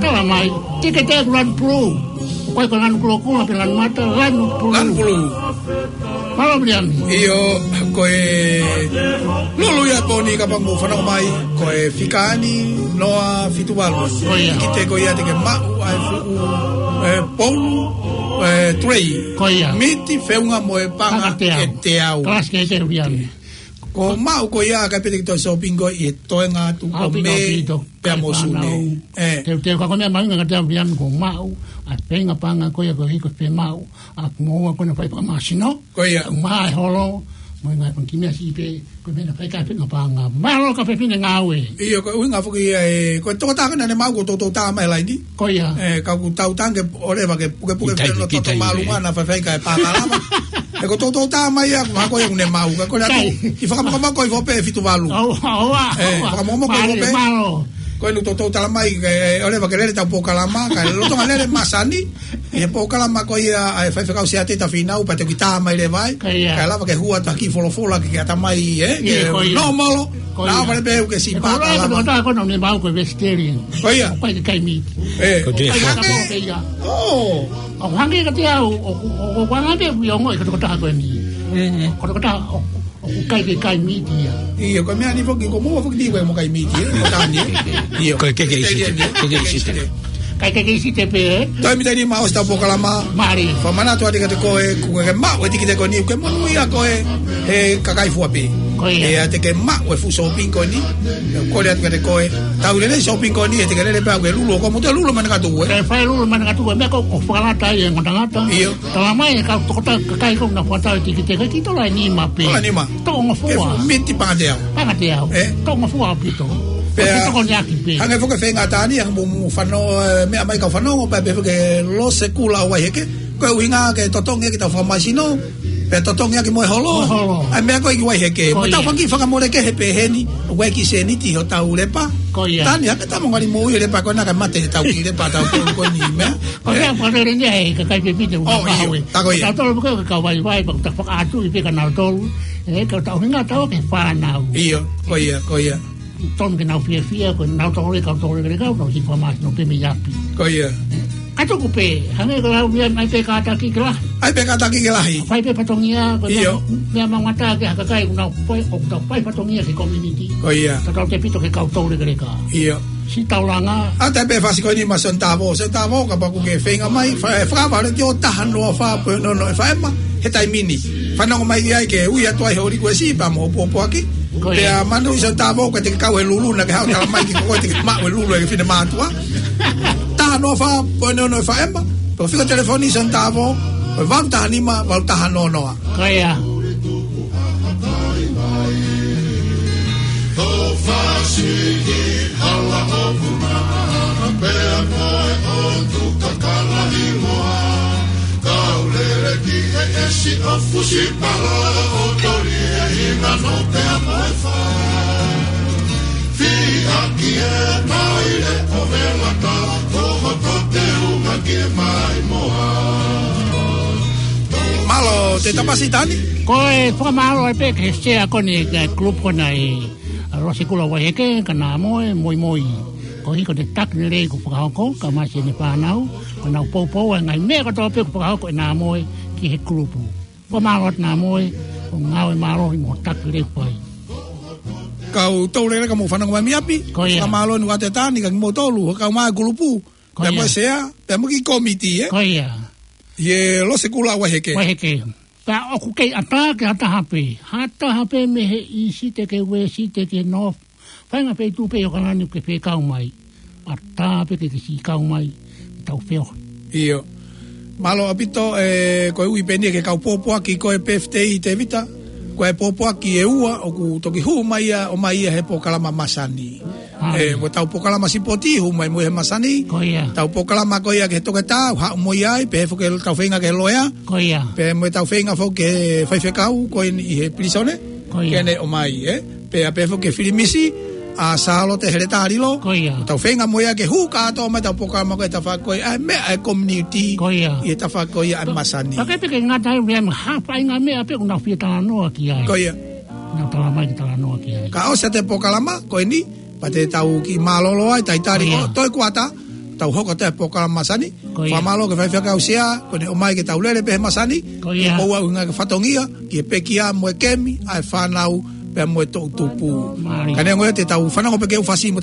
Tala mai, tikite ʻoku lanu pulū. ʻOku ʻikai ko e lanu kulokula pe lanu mata, lanu pulū. Lanu pulū. Mālō Viliami. ʻIo, ko e lulu ia ko eni kapau ʻoku mou fanongo mai, ko e fika eni, noa fitu valu. Ko ia. Tikite ko ia te ke maʻu ʻa e fuʻu, ʻe, polu, ʻe, tulei. Ko ia. Miti feʻunga mo e paʻanga ʻe teau. Paʻanga ʻe teau. Kalasi kehekehe Viliami. Ko e maʻu ko ia ka pete ki he shopping ko ē ʻi he toenga atu ʻo Mē pea mo Sune. ʻE. Teuteu ka ko e meʻa mahuʻinga kiate au Viliami ko e maʻu ʻa e feinga paʻanga ko ia ko e hiko fiemaʻu ʻa e moua ko ena fai fakamāsino. Ko ia. Maʻa e holo, mo e ngaahi pangikimi siʻi pē, ko e meʻa naʻa fai ki ai e feinga paʻanga. Mālō kau fefine ngāue. ʻIo, ko e ʻuhinga foki ia ē, ko e tokotaha ko ena naʻa ne maʻu kuo toutou tā mai e laini. Ko ia. ʻE, ka ʻoku tau tange ʻo leva ke pukepuke pē ʻo toto mālunga naʻa faifai kae pākalama. Ko e toutou tā mai ia, ko e hā ko ē ʻoku ne maʻu, ka ko e lea atu, ʻi he fakamokomoko ʻi Fope ʻe fitu valu. ʻOua, ʻoua, ē, ʻoua. Fakamokomoko ʻi Mālie, Fope. Mālō. Ko e ʻū toutou tala mai, ē, ʻoua leva ke lele ʻetau polokalama, kae lolotonga lele e masani, ʻi he polokalama ko ia ʻa e faifekau Siate Tafinau, pea te u kiʻi tā mai leva ai, Ko ia. kae lava ke hū atu ha kiʻi folofola ke, ke ʻatamai, ē, Ia, ke ko ia. nōmolo, Ko ia. Nā vale pē ʻoku ke Ē, sipa ko e kalama. Ko e tokotaha ko ē naʻa ne maʻu ko e vegetarian. Ko ia. ʻOku ʻikai ke kai meat. Ē. Ko e Ko e hangē. Hangē. ʻO. ʻOku hangē kiate au, ʻoku, ʻoku, ʻoku hangē pē ʻoku ʻi ongo ʻi he tokotaha ko eni. Mm. Ko e tokotaha ʻoku, ʻoku ʻikai ke kai meat ia. ʻIo, ko e meʻa ni foki, ko moua foki ni ko e mo kai meat ia. Ko e tani, ē. ʻIo. Ko e keke ʻi Site. Vegetarian, ē. Keke ʻi Site. Keke ʻi Site. Kai keke ʻi Site pē, ē? Toe mita ni ma ʻosi ʻetau polokalama. Mālie. Fakamanatu atu kiate koe, kuo ke maʻu e tikite ko eni, ke monūʻia koe he kakai fua pē. Ko ia. ʻIo, te ke maʻu e fuʻu shopping ko eni. Kole atu kiate koe. Tau lele shopping ko eni, ʻe te ke lele pē ʻo ke lulu, ʻo ko mo te lulu mani katu, ē? Ke fai lulu mani katu, ē, meʻa ko, ʻoku fakalata ai e ngata ngata. ʻIo. Tala mai e kau tokotaha kakai ko ē naʻa nau fakatau e tikite, ko e kiʻi tola ʻe nima pē. Tola ʻe nima. Toʻo ngofua. Ke fuʻu miti pangateau. Pangateau. Ē? Toʻo ngofua ʻaupito. Pea, Ko e tokoni ʻaki pē. hangē foki e feinga ʻa Tani, hangē mo, mo fanongo, ē, meʻa mai kau fanongo, pea pehē foki e Lose Kula ʻo Vaiheke. Ko e ʻuhinga ke totongi ʻaki ʻetau fakamāsino, pea totongi ʻaki mo e holo. Mo e holo. ʻA e meʻa ko ē ki Vaiheke. Ko ia. Mo ʻetau fanga kiʻi fakamolemole kehe pē heni, ʻoku ʻi ai e kiʻi sēniti hotau lepa. Ko ia. Tani, hangē ʻeta mo ngali mo ui e lepa ko ena kae mate ʻetau kiʻi lepa, ʻetau tolu ko eni meʻa. Ko ia, ʻe. Ko e lele ni ʻa e kakai pepite ʻoku Oh, ʻio. mahawe. Tā ko ia. Tau tolo pē ko e kau vaivai, pea ʻoku ta fakaʻatu ʻi pē kia nautolu. Ē, ka ʻoku ta ʻuhinga ʻetau ke fānau. ʻIo, ko ia, ko ia. Tonu ke nau fiefia, ko nautolu e kau toulekeleka, ʻoku nau hiki fakamāsino pē mei ʻapi. Ko ia. Ka tuku pē, hangē ko e lau meʻa mai pē kātaki ke lahi. ʻAi pē kātaki ke lahi. Fai pē fatongia, ko e ʻIo. meʻa, meʻa maumata ke ha kakai ʻoku nau fai, ʻoku nau fai fatongia ki he community. Ko ia. Ka tau tefito ki he kau toulekeleka. ʻIo. Siʻi taulanga. ʻA e taimi pē fasi ko eni maʻa Sione Tavo. Sione Tavo, kapau ʻoku ke feinga mai, fa-, fakavale ki he taha noa fā poini ono ʻefe ema, he taimi ni. Fanongo mai ai ke ui atu ai hoʻo likuesi pea mo hoʻo pōpoaki. Ko ia. Pea manatuʻi Sione Tavo, ka te ke kau he lulu naʻa ke haʻu tala mai ki ko koe te ke maʻu e lulu ʻe he finemātuʻa. Taha noa fā poini ono ʻefe ema, pe ko e fika telefoni Sione Tavo, ko e valu taha nima, valu taha noa noa. Ko ia. Tō fasi ki hala ʻo puna, pea mo e ʻotu kakala hiloa. Kau lele ki he esi ʻo fusi pala ʻo toli e hinano pea mo e fā. Fiʻaki e maile ʻo e lata, ʻo hoto te unga ki e maimoa. Mālō, Tēvita Pasi Tani. Ko e fakamālō ai pē ki he sea ko eni, ki he group ko ena ʻi Lose Kula ʻo Vaiheke, kia Namoe Moimoi. Ko e hiko ʻo e taki lelei kuo fakahoko, kae ʻumaʻā siʻene fānau, ko ʻenau poupou ʻa e ngaahi meʻa kotoa pē kuo fakahoko ʻe Namoe ki he group. Fakamālō atu Namoe, ko e ngāue mālohi mo e taki lelei kuo fai. Kau toulekeleka mo fanongo mai mei ʻapi, Ko ia. fakamālō atu Tēvita Tani, kae ʻumaʻā kimoutolu, kau mai group. Ko Pea mo ia. e sea, pea mo e kiʻi kōmiti, ē? Ko ia. ʻI he Lose Kula ʻo Vaiheke. Vaiheke. Pea ʻoku kei ʻatā ki ha taha pē. Ha taha pē mei he ʻīsite ki he uēsite ki he north. Fāinga feituʻu pē ʻi ʻAokalani ʻoku ke fie kau mai. ʻAtā pē ke ke siʻi kau mai. Tau feohi. ʻIo. Mālō ʻaupito, ē, ko e ui pē eni ki he kau pōpoaki ko e birthday Tēvita. Ko e pōpoaki ʻe ua ʻoku toki hū mai ia, ʻomai ia he polokalama masani. ʻAi. Ē, mo ʻetau polokalama sipoti, hū mai mo ia he masani. Ko ia. ʻEtau polokalama ko ia ki he toketā, haʻu mo ia ai, pehē foki ʻetau feinga ki he loea. Ko ia. Pea mo ʻetau feinga foki ki he faifekau, ko eni ʻi he pilīsone. Ko ia. Ke ne ʻomai, ē. Pea pehē foki ki he filimisi, ʻa Sālote Heletā Lilo. Ko ia. ʻEtau feinga mo ia ke hū kātoa mai ʻetau polokalama ko e tafaʻaki ko ia, ʻa e meʻa ʻa e community. Ko ia. ʻI he tafaʻaki ko ia ʻa e masani. Pea ke peke ngata ai, ʻoku ʻi ai mo ha faʻahinga meʻa pē ʻoku nau fie talanoa ki ai. Ko ia. Nau tala mai ke talanoa ki ai. Ka ʻosi ʻa e polokalama, ko eni, pea te tau kiʻi mālōlō ai, talitali Ko ia. ko, toe kuata, tau hoko atu e polokalama masani. Ko ia. Fakamālō ki he faifekau sea, ko ʻene ʻomai ke tau lele pē he masani, Ko ia. ke ʻoua ʻuhinga ki he fatongia, ki he pekia mo e kemi, ʻa e fānau, pea mo e toʻutupu. Mālie. Ka neongo ia te tau fanongo pē ki he ʻū fasi mo